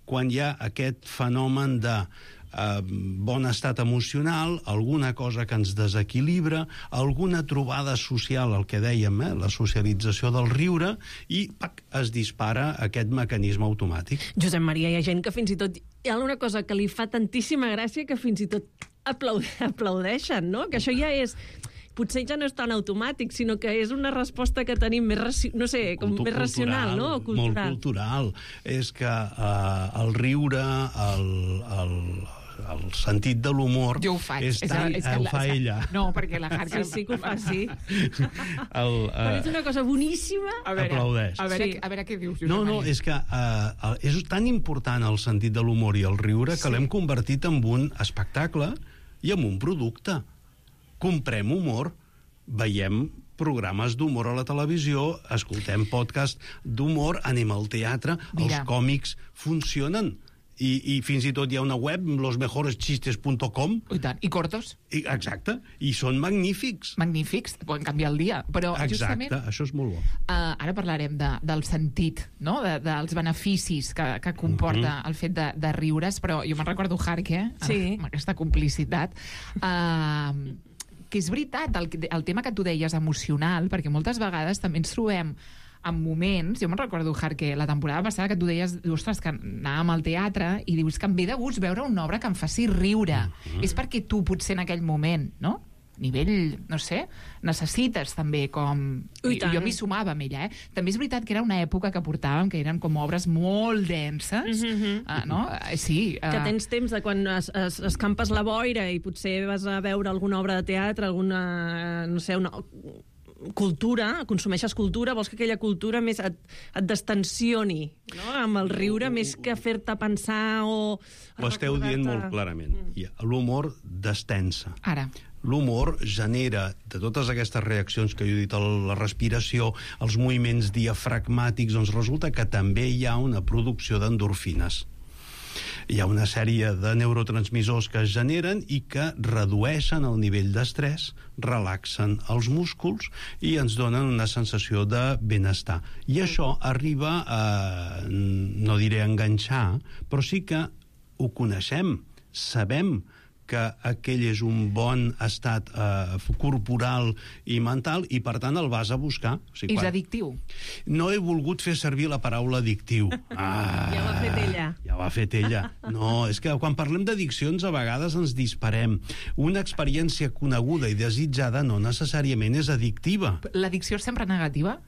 quan hi ha aquest fenomen de eh, bon estat emocional, alguna cosa que ens desequilibra, alguna trobada social, el que dèiem, eh, la socialització del riure, i pac, es dispara aquest mecanisme automàtic. Josep Maria, hi ha gent que fins i tot... Hi ha una cosa que li fa tantíssima gràcia que fins i tot aplaud... aplaudeixen, no? Que això ja és... Potser ja no és tan automàtic, sinó que és una resposta que tenim més, raci... no sé, com més cultural, racional, no? O cultural. Molt cultural. És que uh, el riure, el, el, el sentit de l'humor... Jo ho faig. És tan, és, és que ho la, fa ella. No, perquè la Harker... Sí, sí que ho fa, sí. El, uh, Però és una cosa boníssima. A veure, aplaudeix. A veure, Sí. a veure què dius. No, no, és que uh, és tan important el sentit de l'humor i el riure que Sí. l'hem convertit en un espectacle i en un producte. Comprem humor, veiem programes d'humor a la televisió, escoltem podcast d'humor, anem al teatre, Mira. els còmics funcionen. I, i fins i tot hi ha una web, los mejores chistes punt com. I tant, i cortos. I, exacte, i són magnífics. Magnífics, poden canviar el dia. Però exacte, justament, això és molt bo. Uh, ara parlarem de, del sentit, no? de, dels beneficis que, que comporta uh-huh. el fet de, de riure's, però jo me'n recordo Harke, sí. amb aquesta complicitat. Uh, que és veritat, el, el tema que tu deies emocional, perquè moltes vegades també ens trobem en moments, jo me'n recordo, Harke, la temporada passada que tu deies, ostres, que anàvem al teatre i dius que em ve de gust veure una obra que em faci riure. Uh-huh. És perquè tu, potser en aquell moment, no? A nivell, no sé, necessites també com... Ui, jo m'hi sumava amb ella, eh? També és veritat que era una època que portàvem, que eren com obres molt denses, uh-huh. uh, no? Uh, sí. Uh... Que tens temps de quan es, es, escampes la boira i potser vas a veure alguna obra de teatre, alguna, no sé, una... cultura, consumeixes cultura, vols que aquella cultura més et, et destensioni, no? Amb el riure, més que fer-te pensar o... Ho esteu dient molt clarament. Mm. L'humor destensa. Ara. L'humor genera, de totes aquestes reaccions que jo he dit, la respiració, els moviments diafragmàtics, doncs resulta que també hi ha una producció d'endorfines. Hi ha una sèrie de neurotransmissors que es generen i que redueixen el nivell d'estrès, relaxen els músculs i ens donen una sensació de benestar. I això arriba a, no diré enganxar, però sí que ho coneixem, sabem que aquell és un bon estat eh, corporal i mental i, per tant, el vas a buscar. O sigui, és quan... addictiu. No he volgut fer servir la paraula addictiu. Ah, ja ho ha fet ella. Ja ho ha fet ella. No, és que quan parlem d'addiccions a vegades ens disparem. Una experiència coneguda i desitjada no necessàriament és addictiva. L'addicció és sempre negativa?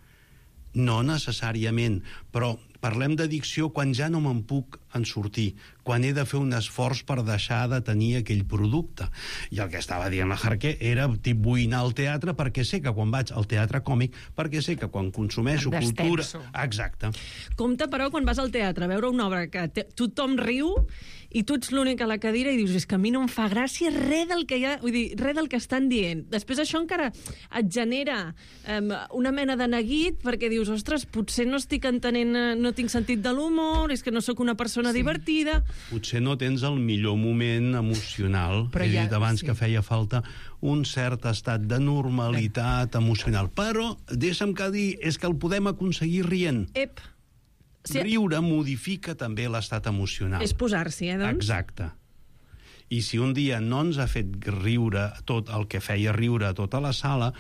No necessàriament, però parlem d'addicció quan ja no me'n puc en sortir, quan he de fer un esforç per deixar de tenir aquell producte. I el que estava dient la Harke era tip vull anar al teatre perquè sé que quan vaig al teatre còmic, perquè sé que quan consumeixo cultura... Exacte. Compte, però, quan vas al teatre a veure una obra que te... tothom riu i tu ets l'únic a la cadira i dius, és que a mi no em fa gràcia res del que hi ha, vull dir, res del que estan dient. Després això encara et genera um, una mena de neguit perquè dius, ostres, potser no estic entenent, no tinc sentit de l'humor, és que no sóc una persona sí. divertida. Potser no tens el millor moment emocional. Però He ja, dit abans sí. que feia falta un cert estat de normalitat sí. emocional. Però, deixa'm que dir, és que el podem aconseguir rient. Ep. Sí. Riure modifica també l'estat emocional. És posar-s'hi, eh, doncs? Exacte. I si un dia no ens ha fet riure tot el que feia riure a tota la sala,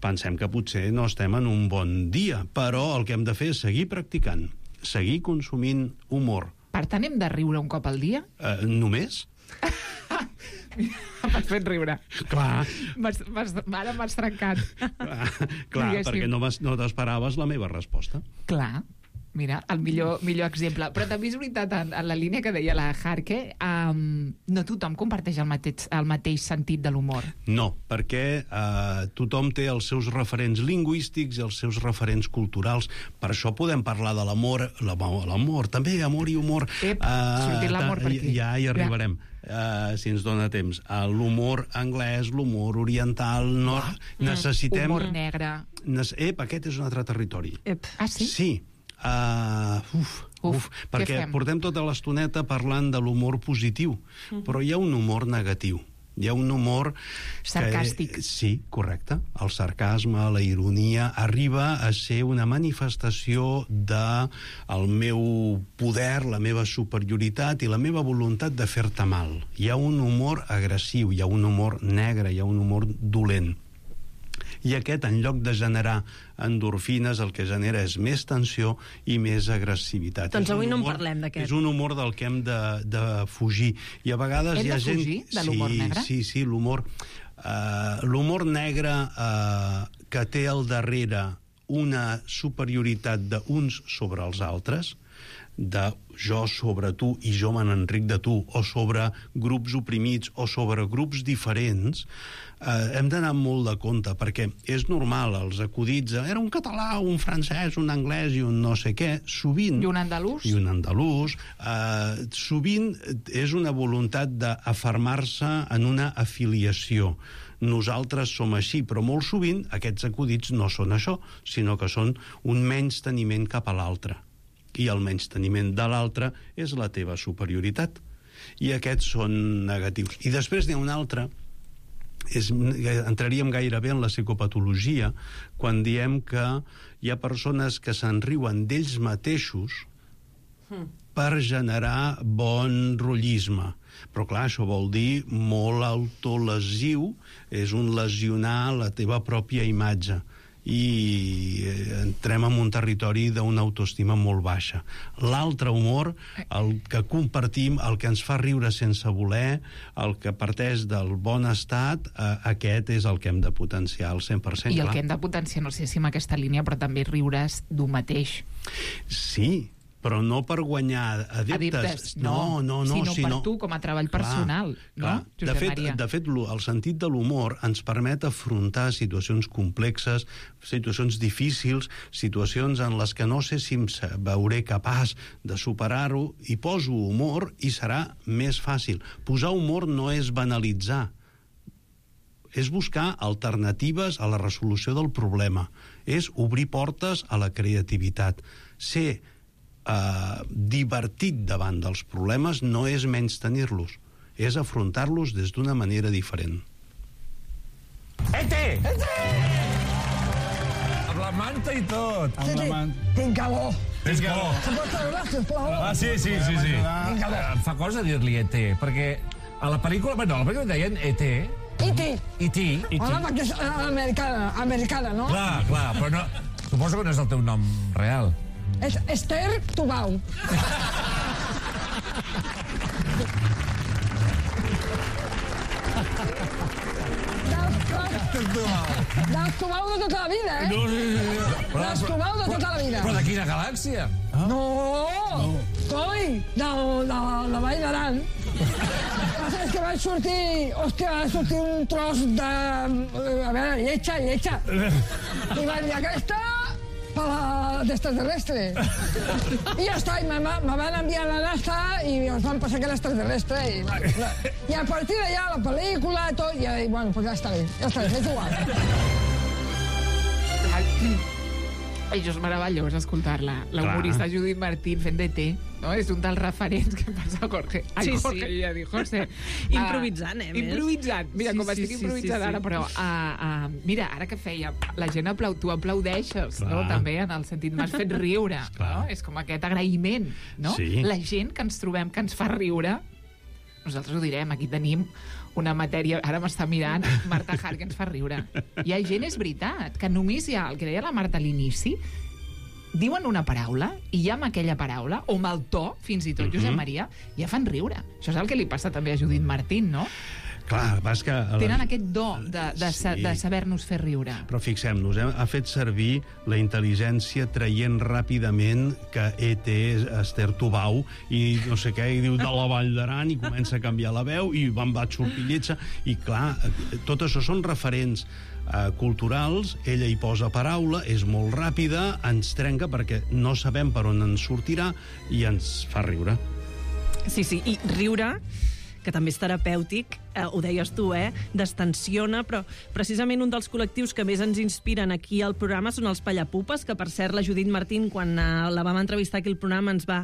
pensem que potser no estem en un bon dia. Però el que hem de fer és seguir practicant, seguir consumint humor. Per tant, hem de riure un cop al dia? Uh, només? M'has fet riure. Clar. M'has, m'has, ara m'has trencat. Clar, clar perquè no, no t'esperaves la meva resposta. Clar. Mira, el millor, millor exemple. Però també és veritat, en, en la línia que deia la Harke, um, no tothom comparteix el mateix, el mateix sentit de l'humor. No, perquè uh, tothom té els seus referents lingüístics i els seus referents culturals. Per això podem parlar de l'amor, l'amor, també amor i humor. Ep, uh, sortir l'amor per aquí. Ja hi arribarem. Uh, si ens dona temps. Uh, l'humor anglès, l'humor oriental, no, ah, necessitem... Humor negre. Nes... Ep, aquest és un altre territori. Ep. Ah, sí? Sí. Uh, uf, uf, uf, perquè portem tota l'estoneta parlant de l'humor positiu, uh-huh. però hi ha un humor negatiu. Hi ha un humor... sarcàstic. Que, sí, correcte. El sarcasme, la ironia, arriba a ser una manifestació de el meu poder, la meva superioritat i la meva voluntat de fer-te mal. Hi ha un humor agressiu, hi ha un humor negre, hi ha un humor dolent. I aquest, en lloc de generar endorfines, el que genera és més tensió i més agressivitat. Doncs avui humor, no en parlem d'aquest. És un humor del que hem de, de fugir. I a vegades hem hi ha de gent... fugir de l'humor sí, negre? Sí, sí, l'humor... Uh, l'humor negre uh, que té al darrere una superioritat d'uns sobre els altres, de jo sobre tu i jo me n'enric de tu, o sobre grups oprimits o sobre grups diferents, eh, hem d'anar molt de compte, perquè és normal, els acudits, era un català, un francès, un anglès i un no sé què, sovint... I un andalús. I un andalús. Eh, sovint és una voluntat d'afermar-se en una afiliació. Nosaltres som així, però molt sovint aquests acudits no són això, sinó que són un menysteniment cap a l'altre. i el menysteniment de l'altre és la teva superioritat. I aquests són negatius. I després n'hi ha un altre, és, entraríem gairebé en la psicopatologia quan diem que hi ha persones que se'n riuen d'ells mateixos mm. per generar bon rotllisme. Però clar, això vol dir molt autolesiu, és un lesionar la teva pròpia imatge. I entrem en un territori d'una autoestima molt baixa. L'altre humor, el que compartim, el que ens fa riure sense voler, el que parteix del bon estat, eh, aquest és el que hem de potenciar al cent per cent. I el clar. que hem de potenciar, no sé si en aquesta línia, però també riure's d'un mateix. Sí, però no per guanyar adeptes. Adeptes, no, no, no, sinó sinó per tu, com a treball personal. Clar, no, clar. De fet, de fet, el sentit de l'humor ens permet afrontar situacions complexes, situacions difícils, situacions en les que no sé si em veuré capaç de superar-ho, i poso humor i serà més fàcil. Posar humor no és banalitzar, és buscar alternatives a la resolució del problema, és obrir portes a la creativitat. Ser Uh, divertit davant dels problemes no és menys tenir-los, és afrontar-los des d'una manera diferent. Ete! Ete! Amb la manta i tot. Sí, sí, tinc calor. Tens calor? Se pot treure, sisplau? Ah, sí, sí, sí, sí. Tinc calor. Em fa cosa dir-li E T, perquè a la pel·lícula, bueno, a la pel·lícula deien E T. E T. E T. Home, perquè és americana, americana, no? Clar, clar, però no... Suposo que no és el teu nom real. És Esther Tubau. Dels Tubau de tota la vida, eh? No, sí, sí, sí. Dels Tubau de tota la vida. Però de quina galàxia? Ah? No! Coi! De la Vall d'Aran. És que va sortir... Hòstia, va sortir un tros de... A veure, lletja, lletja. I van dir, aquesta... per l'extraterrestre. I ja està, i me, me van enviar a la NASA i ens van passar que l'extraterrestre. I, I a partir d'allà, la pel·lícula, tot, i, i bueno, pues ja està bé, ja està bé, és igual. Això és meravellós, escoltar-la. La humorista Judit Martín fent d'E T, no? És un dels referents que passa a Jorge. Ai, sí, Jorge, sí. ja dic, José. Improvisant, eh, més. Improvisant. Mira, Sí, com sí, estic sí, improvisant sí, sí. ara, però... Uh, uh, mira, ara que feia, la gent aplau, tu aplaudeixes, Clar. no? També, en el sentit, m'has fet riure, no? És com aquest agraïment, no? Sí. La gent que ens trobem, que ens fa riure, nosaltres ho direm, aquí tenim una matèria... Ara m'està mirant Marta Hart, que ens fa riure. Hi ha gent, és veritat, que només hi ha, el que deia la Marta a l'inici, diuen una paraula i ja amb aquella paraula, o amb el to, fins i tot, uh-huh. Josep Maria, ja fan riure. Això és el que li passa també a Judit Martín, no? Clar, vas que... Tenen aquest do de, de, sí. de saber-nos fer riure. Però fixem-nos, eh? ha fet servir la intel·ligència traient ràpidament que E T és Esther Tubau i no sé què, i diu de la Vall d'Aran i comença a canviar la veu i van va sortir lletja. I clar, tot això són referents eh, culturals, ella hi posa paraula, és molt ràpida, ens trenca perquè no sabem per on ens sortirà i ens fa riure. Sí, sí, i riure, que també és terapèutic, eh, ho deies tu, eh? Destensiona, però precisament un dels col·lectius que més ens inspiren aquí al programa són els Pallapupes, que per cert la Judit Martín, quan eh, la vam entrevistar aquí al programa, ens va,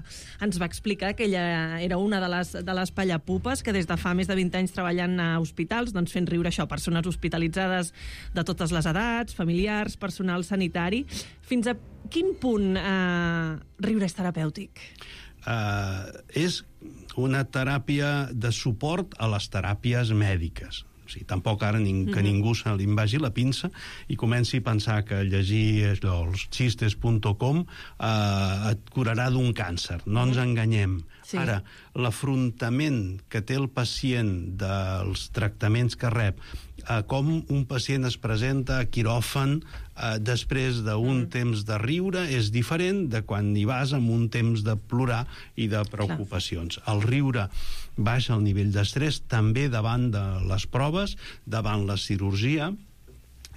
ens va explicar que ella era una de les, de les Pallapupes, que des de fa més de vint anys treballant a hospitals, doncs fent riure això, persones hospitalitzades de totes les edats, familiars, personal sanitari. Fins a quin punt eh, riure és terapèutic? Uh, és una teràpia de suport a les teràpies mèdiques. O sigui, tampoc ara ning que ningú se li vagi la pinça i comenci a pensar que llegir allò, els xistes punt com eh, et curarà d'un càncer. No ens enganyem. Sí. Ara, l'afrontament que té el pacient dels tractaments que rep, eh, com un pacient es presenta a quiròfan eh, després d'un mm. temps de riure és diferent de quan hi vas amb un temps de plorar i de preocupacions. Clar. El riure baixa el nivell d'estrès també davant de les proves, davant la cirurgia,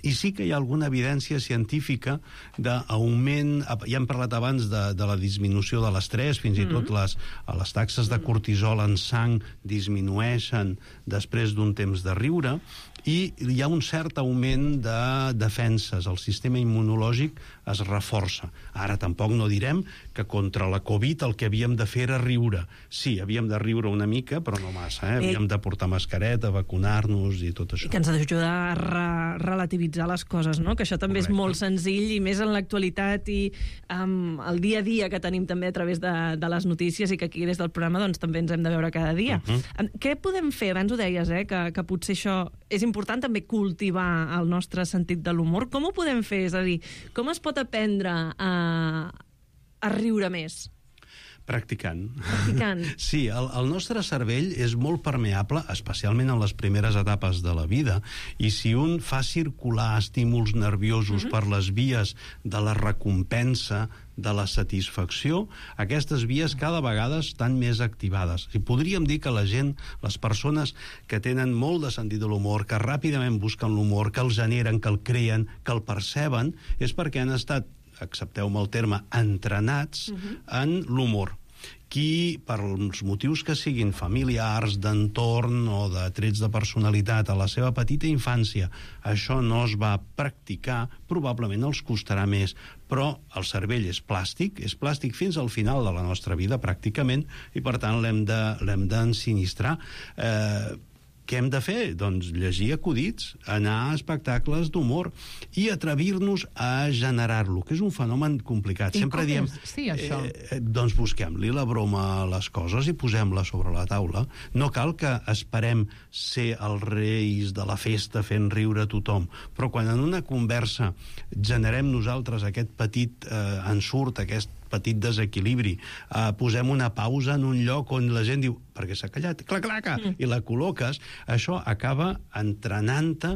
i sí que hi ha alguna evidència científica d'augment, ja hem parlat abans de, de la disminució de l'estrès, fins i tot les, les taxes de cortisol en sang disminueixen després d'un temps de riure, i hi ha un cert augment de defenses. El sistema immunològic es reforça. Ara tampoc no direm que contra la Covid el que havíem de fer era riure. Sí, havíem de riure una mica, però no massa. Eh? Havíem de portar mascareta, vacunar-nos i tot això. I que ens ajuda a re relativitzar les coses, no? Que això també Correcte. És molt senzill, i més en l'actualitat i um, el dia a dia que tenim també a través de, de les notícies, i que aquí des del programa doncs, també ens hem de veure cada dia. Uh -huh. Què podem fer? Abans ho deies, eh? que, que potser això és important també cultivar el nostre sentit de l'humor. Com ho podem fer? És a dir, com es pot aprendre a, a riure més? Practicant. Practicant. Sí, el, el nostre cervell és molt permeable, especialment en les primeres etapes de la vida, i si un fa circular estímuls nerviosos uh-huh. per les vies de la recompensa, de la satisfacció, aquestes vies cada vegada estan més activades. I podríem dir que la gent, les persones que tenen molt de sentit de l'humor, que ràpidament busquen l'humor, que el generen, que el creen, que el perceben, és perquè han estat, accepteu-me el terme, entrenats uh-huh. en l'humor. Qui, per els motius que siguin familiars, d'entorn o de trets de personalitat a la seva petita infància, això no es va practicar, probablement els costarà més. Però el cervell és plàstic, és plàstic fins al final de la nostra vida, pràcticament, i per tant l'hem de, l'hem d'ensinistrar. Eh, Què hem de fer? Doncs llegir acudits, anar a espectacles d'humor i atrevir-nos a generar-lo, que és un fenomen complicat. I Sempre diem, sí, això? Eh, doncs busquem-li la broma a les coses i posem-la sobre la taula. No cal que esperem ser els reis de la festa fent riure a tothom, però quan en una conversa generem nosaltres aquest petit eh, ensurt, aquest petit desequilibri, eh, posem una pausa en un lloc on la gent diu perquè s'ha callat, clac-claca, mm. i la col·loques, això acaba entrenant-te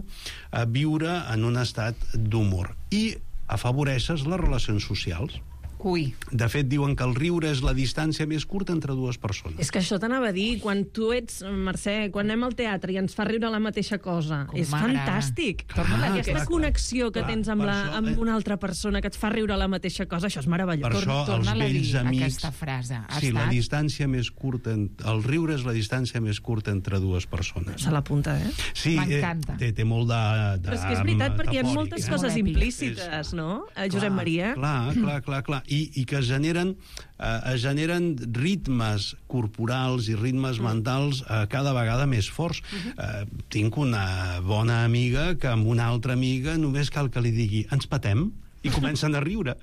a viure en un estat d'humor i afavoreixes les relacions socials. Ui. De fet, diuen que el riure és la distància més curta entre dues persones. És que això t'anava a dir, quan tu ets, Mercè, quan anem al teatre i ens fa riure la mateixa cosa, Com és m'agrada. fantàstic. Clar, Aquesta clar, connexió que clar, tens amb, per la, això, amb eh, una altra persona que et fa riure la mateixa cosa, això és meravellós. Per això els Torna-la a dir, vells amics... aquesta frase. Ha Sí, la estat- distància més curta... en- El riure és la distància més curta entre dues persones. Se l'apunta, eh? Sí, M'encanta. eh, té, té molt de, de... Però és que és veritat, perquè hi ha metafòric, moltes eh? coses Molt èpic. implícites, no? Eh, Josep Clar, Maria? Clar, clar, clar, clar. I, i que generen, eh, es generen ritmes corporals i ritmes mentals eh, cada vegada més forts. Eh, tinc una bona amiga que amb una altra amiga només cal que li digui ens patem i comencen a riure.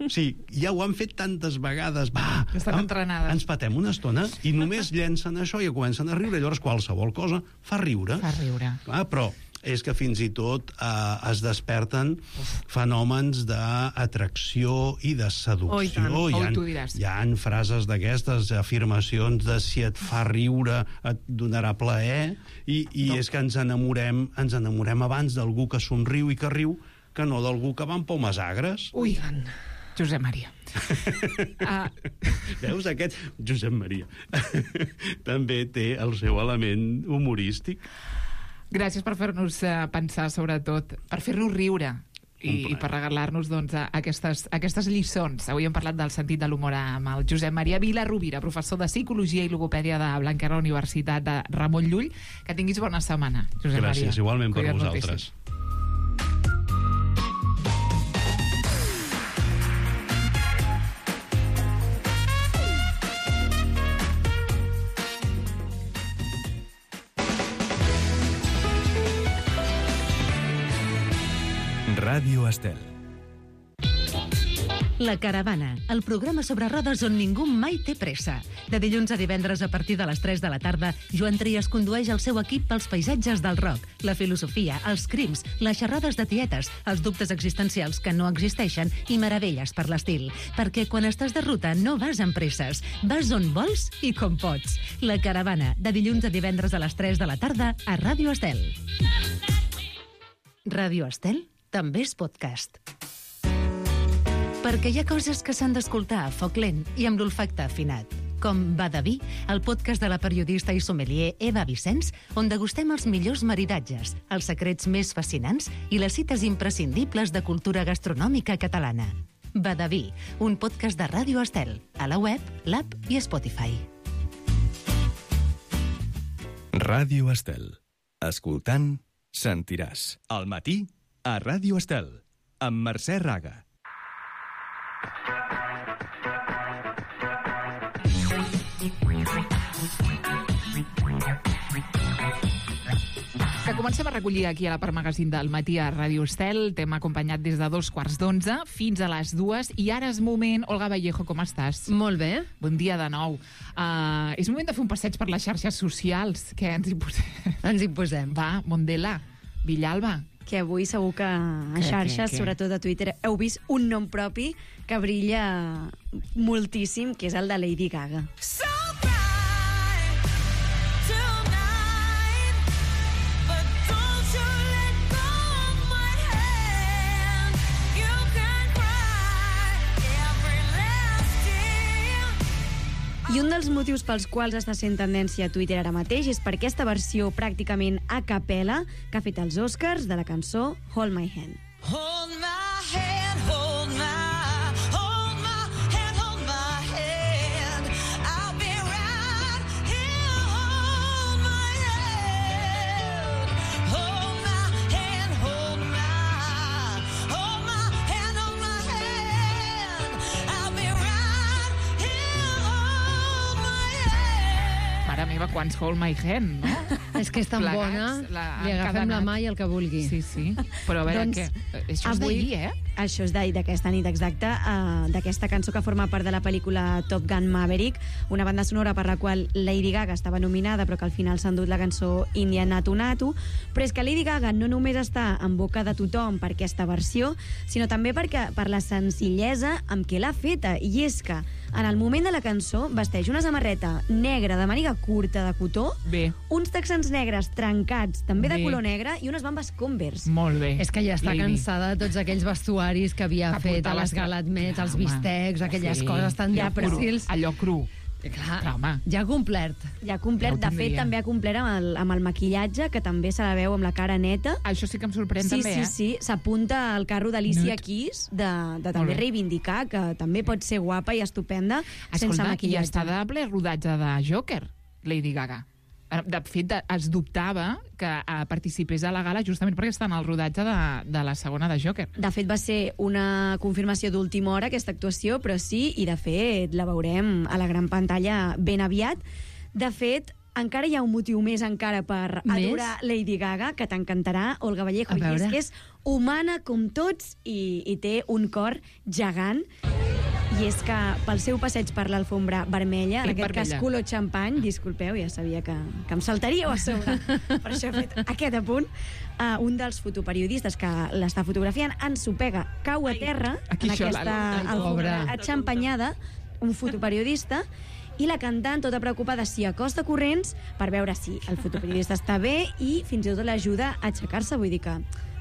Sí, ja ho han fet tantes vegades. Va, Estan am- entrenades. ens patem una estona i només llencen això i ja comencen a riure. Llavors qualsevol cosa fa riure. Fa riure. Clar, però és que fins i tot eh, es desperten fenòmens d'atracció i de seducció. Oh, i tant. Hi Oh, ha, tu diràs. hi ha frases d'aquestes, afirmacions de si et fa riure et donarà plaer, i, i no. és que ens enamorem, ens enamorem abans d'algú que somriu i que riu que no d'algú que va amb pomes agres. Ui, Josep Maria. uh, Veus, aquest Josep Maria també té el seu element humorístic. gràcies per fer-nos uh, pensar, sobretot, per fer-nos riure i, i per regalar-nos doncs, a- aquestes, aquestes lliçons. Avui hem parlat del sentit de l'humor amb el Josep Maria Vila-Rovira, professor de Psicologia i Logopèdia de Blanquerna Universitat de Ramon Llull. Que tinguis bona setmana, Josep Maria. Gràcies, igualment per Cuida't vosaltres. moltíssim. Ràdio Estel. La Caravana, el programa sobre rodes on ningú mai té pressa. De dilluns a divendres a partir de les tres de la tarda, Joan Trias condueix el seu equip pels paisatges del rock, la filosofia, els crims, les xerrades de tietes, els dubtes existencials que no existeixen i meravelles per l'estil. Perquè quan estàs de ruta no vas amb presses, vas on vols i com pots. La Caravana, de dilluns a divendres a les tres de la tarda a Ràdio Estel. Ràdio Estel també és podcast. Perquè hi ha coses que s'han d'escoltar a foc lent i amb l'olfacte afinat. Com Va de vi, el podcast de la periodista i sommelier Eva Vicenç, on degustem els millors maridatges, els secrets més fascinants i les cites imprescindibles de cultura gastronòmica catalana. Va de vi, un podcast de Ràdio Estel, a la web, l'app i Spotify. Ràdio Estel. Escoltant sentiràs. Al matí, a Ràdio Estel, amb Mercè Raga. Que comencem a recollir aquí a la part magazín del matí a Ràdio Estel. T'hem acompanyat des de dos quarts d'onze fins a les dues i ara és moment... Olga Vallejo, com estàs? Molt bé. Bon dia de nou. Uh, és moment de fer un passeig per les xarxes socials. Què ens hi posem? Ens hi posem. Va, Mondela, Villalba. Que avui segur que a xarxes, què, què? sobretot a Twitter, heu vist un nom propi que brilla moltíssim, que és el de Lady Gaga. So I un dels motius pels quals està sent tendència a Twitter ara mateix és per aquesta versió pràcticament a capella que ha fet els Oscars de la cançó Hold My Hand. Hold my hand, hold my, hold my hand, hold my hand. I'll be right here, hold my hand. Hold my hand, hold my, hold my hand, hold my hand. I'll be right here, hold my hand. Mare meva, quants Hold My Hand, no? És que és tan Plegats, bona, la, li agafem la mà i el que vulgui. Sí, sí. Però a veure, doncs, què? Això és avui, d'ahir, eh? Això és d'ahir, d'aquesta nit exacta, uh, d'aquesta cançó que forma part de la pel·lícula Top Gun Maverick, una banda sonora per la qual Lady Gaga estava nominada, però que al final s'ha endut la cançó India Natu Natu. Però és que Lady Gaga no només està en boca de tothom per aquesta versió, sinó també perquè, per la senzillesa amb què l'ha feta. I és que, en el moment de la cançó, vesteix una samarreta negra de màniga curta de cotó, bé, uns texans negres trencats, també de bé, color negre, i unes bambes Converse. Molt bé. És que ja està Lady. cansada de tots aquells vestuaris que havia Que fet a portava les estra- galatmets, els Home, bistecs, aquelles sí. coses tan Ja, però difícils. allò cru. Clar, Però, home, ja ha complert. Ja ha complert. Ja ho De fet, tindria. també ha complert amb el, amb el maquillatge, que també se la veu amb la cara neta. això sí que em sorprèn Sí, també, sí, eh? sí. S'apunta al carro d'Alicia Nude. Keys de, de Molt també bé. reivindicar que també pot ser guapa i estupenda sense Escolta, i maquillatge. està de ple rodatge de Joker, Lady Gaga. De fet, es dubtava que eh, participés a la gala justament perquè està en el rodatge de, de la segona de Joker. De fet, va ser una confirmació d'última hora, aquesta actuació, però sí, i de fet la veurem a la gran pantalla ben aviat. De fet, encara hi ha un motiu més encara per Més? adorar Lady Gaga, que t'encantarà, Olga Vallejo, A i és veure. que és humana com tots i, i té un cor gegant. I és que pel seu passeig per l'alfombra vermella, en Crec aquest vermella. cas color xampany, disculpeu, ja sabia que, que em saltaríeu a sobre, per això he fet aquest apunt, uh, un dels fotoperiodistes que l'està fotografiant ensopega, cau a terra Aquí en això, aquesta la- la- alfombra Pobra. atxampanyada, un fotoperiodista, i la cantant, tota preocupada, s'hi acosta corrents per veure si el fotoperiodista està bé i fins i tot l'ajuda a aixecar-se, vull dir que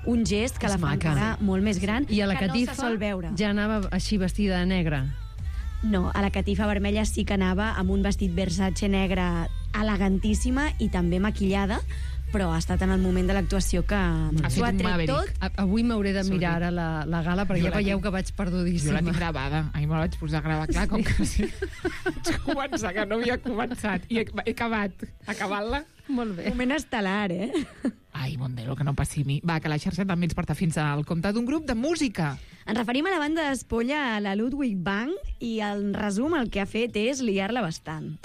un gest que És la fa maca. encara molt més gran, I a la que catifa no se sol veure. ja anava així vestida de negre. No, a la catifa vermella sí que anava amb un vestit Versace negre elegantíssima i també maquillada, però ha estat en el moment de l'actuació que fet s'ho ha un tret Maverick. tot. A- Avui m'hauré de Sorry. mirar ara la, la gala, perquè Jo ja la veieu tinc- que vaig Jo perdudíssima. la tinc gravada. Ahir me la vaig posar a gravar, clar, com que sí. Vaig començar, que no havia començat. I he, he acabat. Acabant-la. Molt bé. Moment estel·lar, eh? Ai, Mondelo, que no passi a mi. Va, que la xarxa també ens porta fins al compte d'un grup de música. Ens referim a la banda d'espolla, a la Ludwig Band, i en resum el que ha fet és liar-la bastant.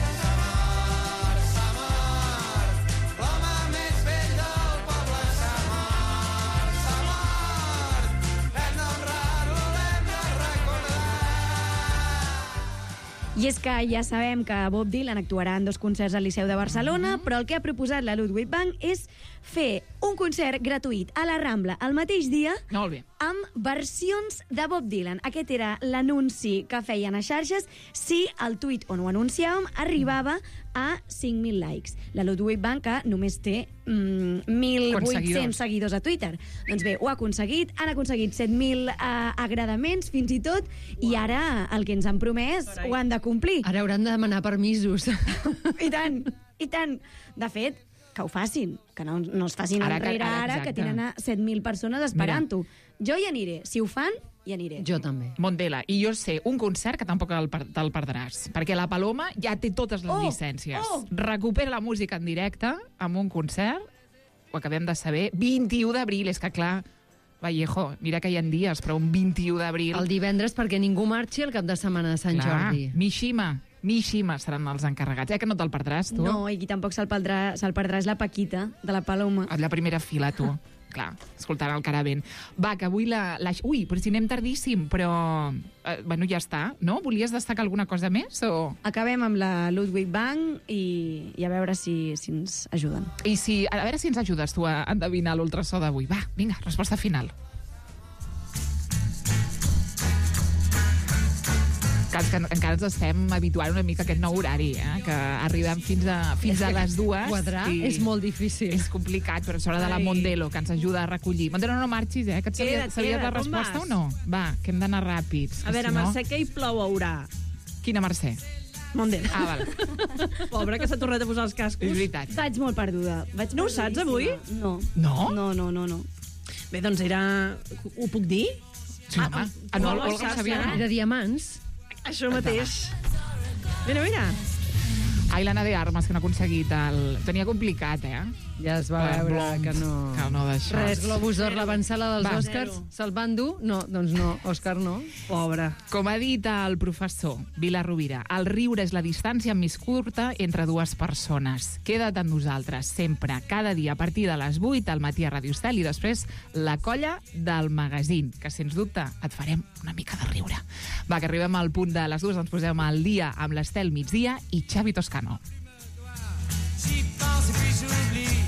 I és que ja sabem que Bob Dylan actuarà en dos concerts al Liceu de Barcelona, però el que ha proposat la Ludwig Band és fer un concert gratuït a la Rambla el mateix dia Molt bé. amb versions de Bob Dylan. Aquest era l'anunci que feien a xarxes si el tuit on ho anunciàvem arribava a cinc mil likes. La Ludwig Band, que només té mm, mil vuit-cents seguidors a Twitter. Doncs bé, ho ha aconseguit, han aconseguit set mil eh, agradaments fins i tot, i ara el que ens han promès ho han de complir. Ara hauran de demanar permisos. I tant, i tant. De fet, que ho facin, que no, no es facin Ara que- enrere ara, ara, que exacte. tenen a set mil persones esperant-ho. Jo hi aniré. Si ho fan, hi aniré. Jo també. Mondela, i jo sé un concert que tampoc el per- te'l perdràs, perquè la Paloma ja té totes les Oh, llicències. oh. Recupera la música en directe amb un concert ho acabem de saber, vint-i-u d'abril, és que clar, Vallejo, mira que hi ha dies, però un vint-i-u d'abril... El divendres perquè ningú marxi el cap de setmana de Sant clar, Jordi. Mishima, Mishima seran els encarregats. Eh, que no te'l perdràs, tu? No, i qui tampoc se'l perdrà, se'l perdrà és la Paquita, de la Paloma. A la primera fila, tu. Clar, escoltant el caravent. Va, que avui la... la... Ui, però si anem tardíssim, però... Eh, bueno, ja està, no? Volies destacar alguna cosa més, o...? Acabem amb la Ludwig Bank i, i a veure si, si ens ajuden. I si... A veure si ens ajudes tu a endevinar l'ultrasó d'avui. Va, vinga, resposta final. Que, que encara ens estem habituant una mica a aquest nou horari, eh? Que arribem fins a, fins a les dues. Quadrar és molt difícil. És complicat, però és hora de la Mondelo, que ens ajuda a recollir. Mondelo, no marxis, eh? Que et sabia, sabies la resposta o no? Va, que hem d'anar ràpids. A veure, si no... Mercè, què hi plou haurà? Quina Mercè? Mondelo. Ah, val. Pobre, que s'ha tornat a posar els cascos. És veritat. Vaig molt perduda. Vaig no ho saps, avui? No. No? No, no, no, no. Bé, doncs era... Ho puc dir? Sí, home. Ah, no, Olga ho sabia. De diamants. Això mateix. Mira, mira. Ai, l'Anna de Armas, que no ha aconseguit el... Tenia complicat, eh? Ja es va veure que no... Que no d'això. Res, Globus d'Or, l'avançada dels Va. Oscars, se'l van dur? No, doncs no, Òscar no. Pobre. Com ha dit el professor Vila Rovira, el riure és la distància més curta entre dues persones. Queda't amb nosaltres, sempre, cada dia, a partir de les vuit al matí a Radio Estel i després la colla del magazín, que sens dubte et farem una mica de riure. Va, que arribem al punt de les dues, ens posem al dia amb l'Estel migdia i Xavi Toscano. J'y pense et puis j'oublie.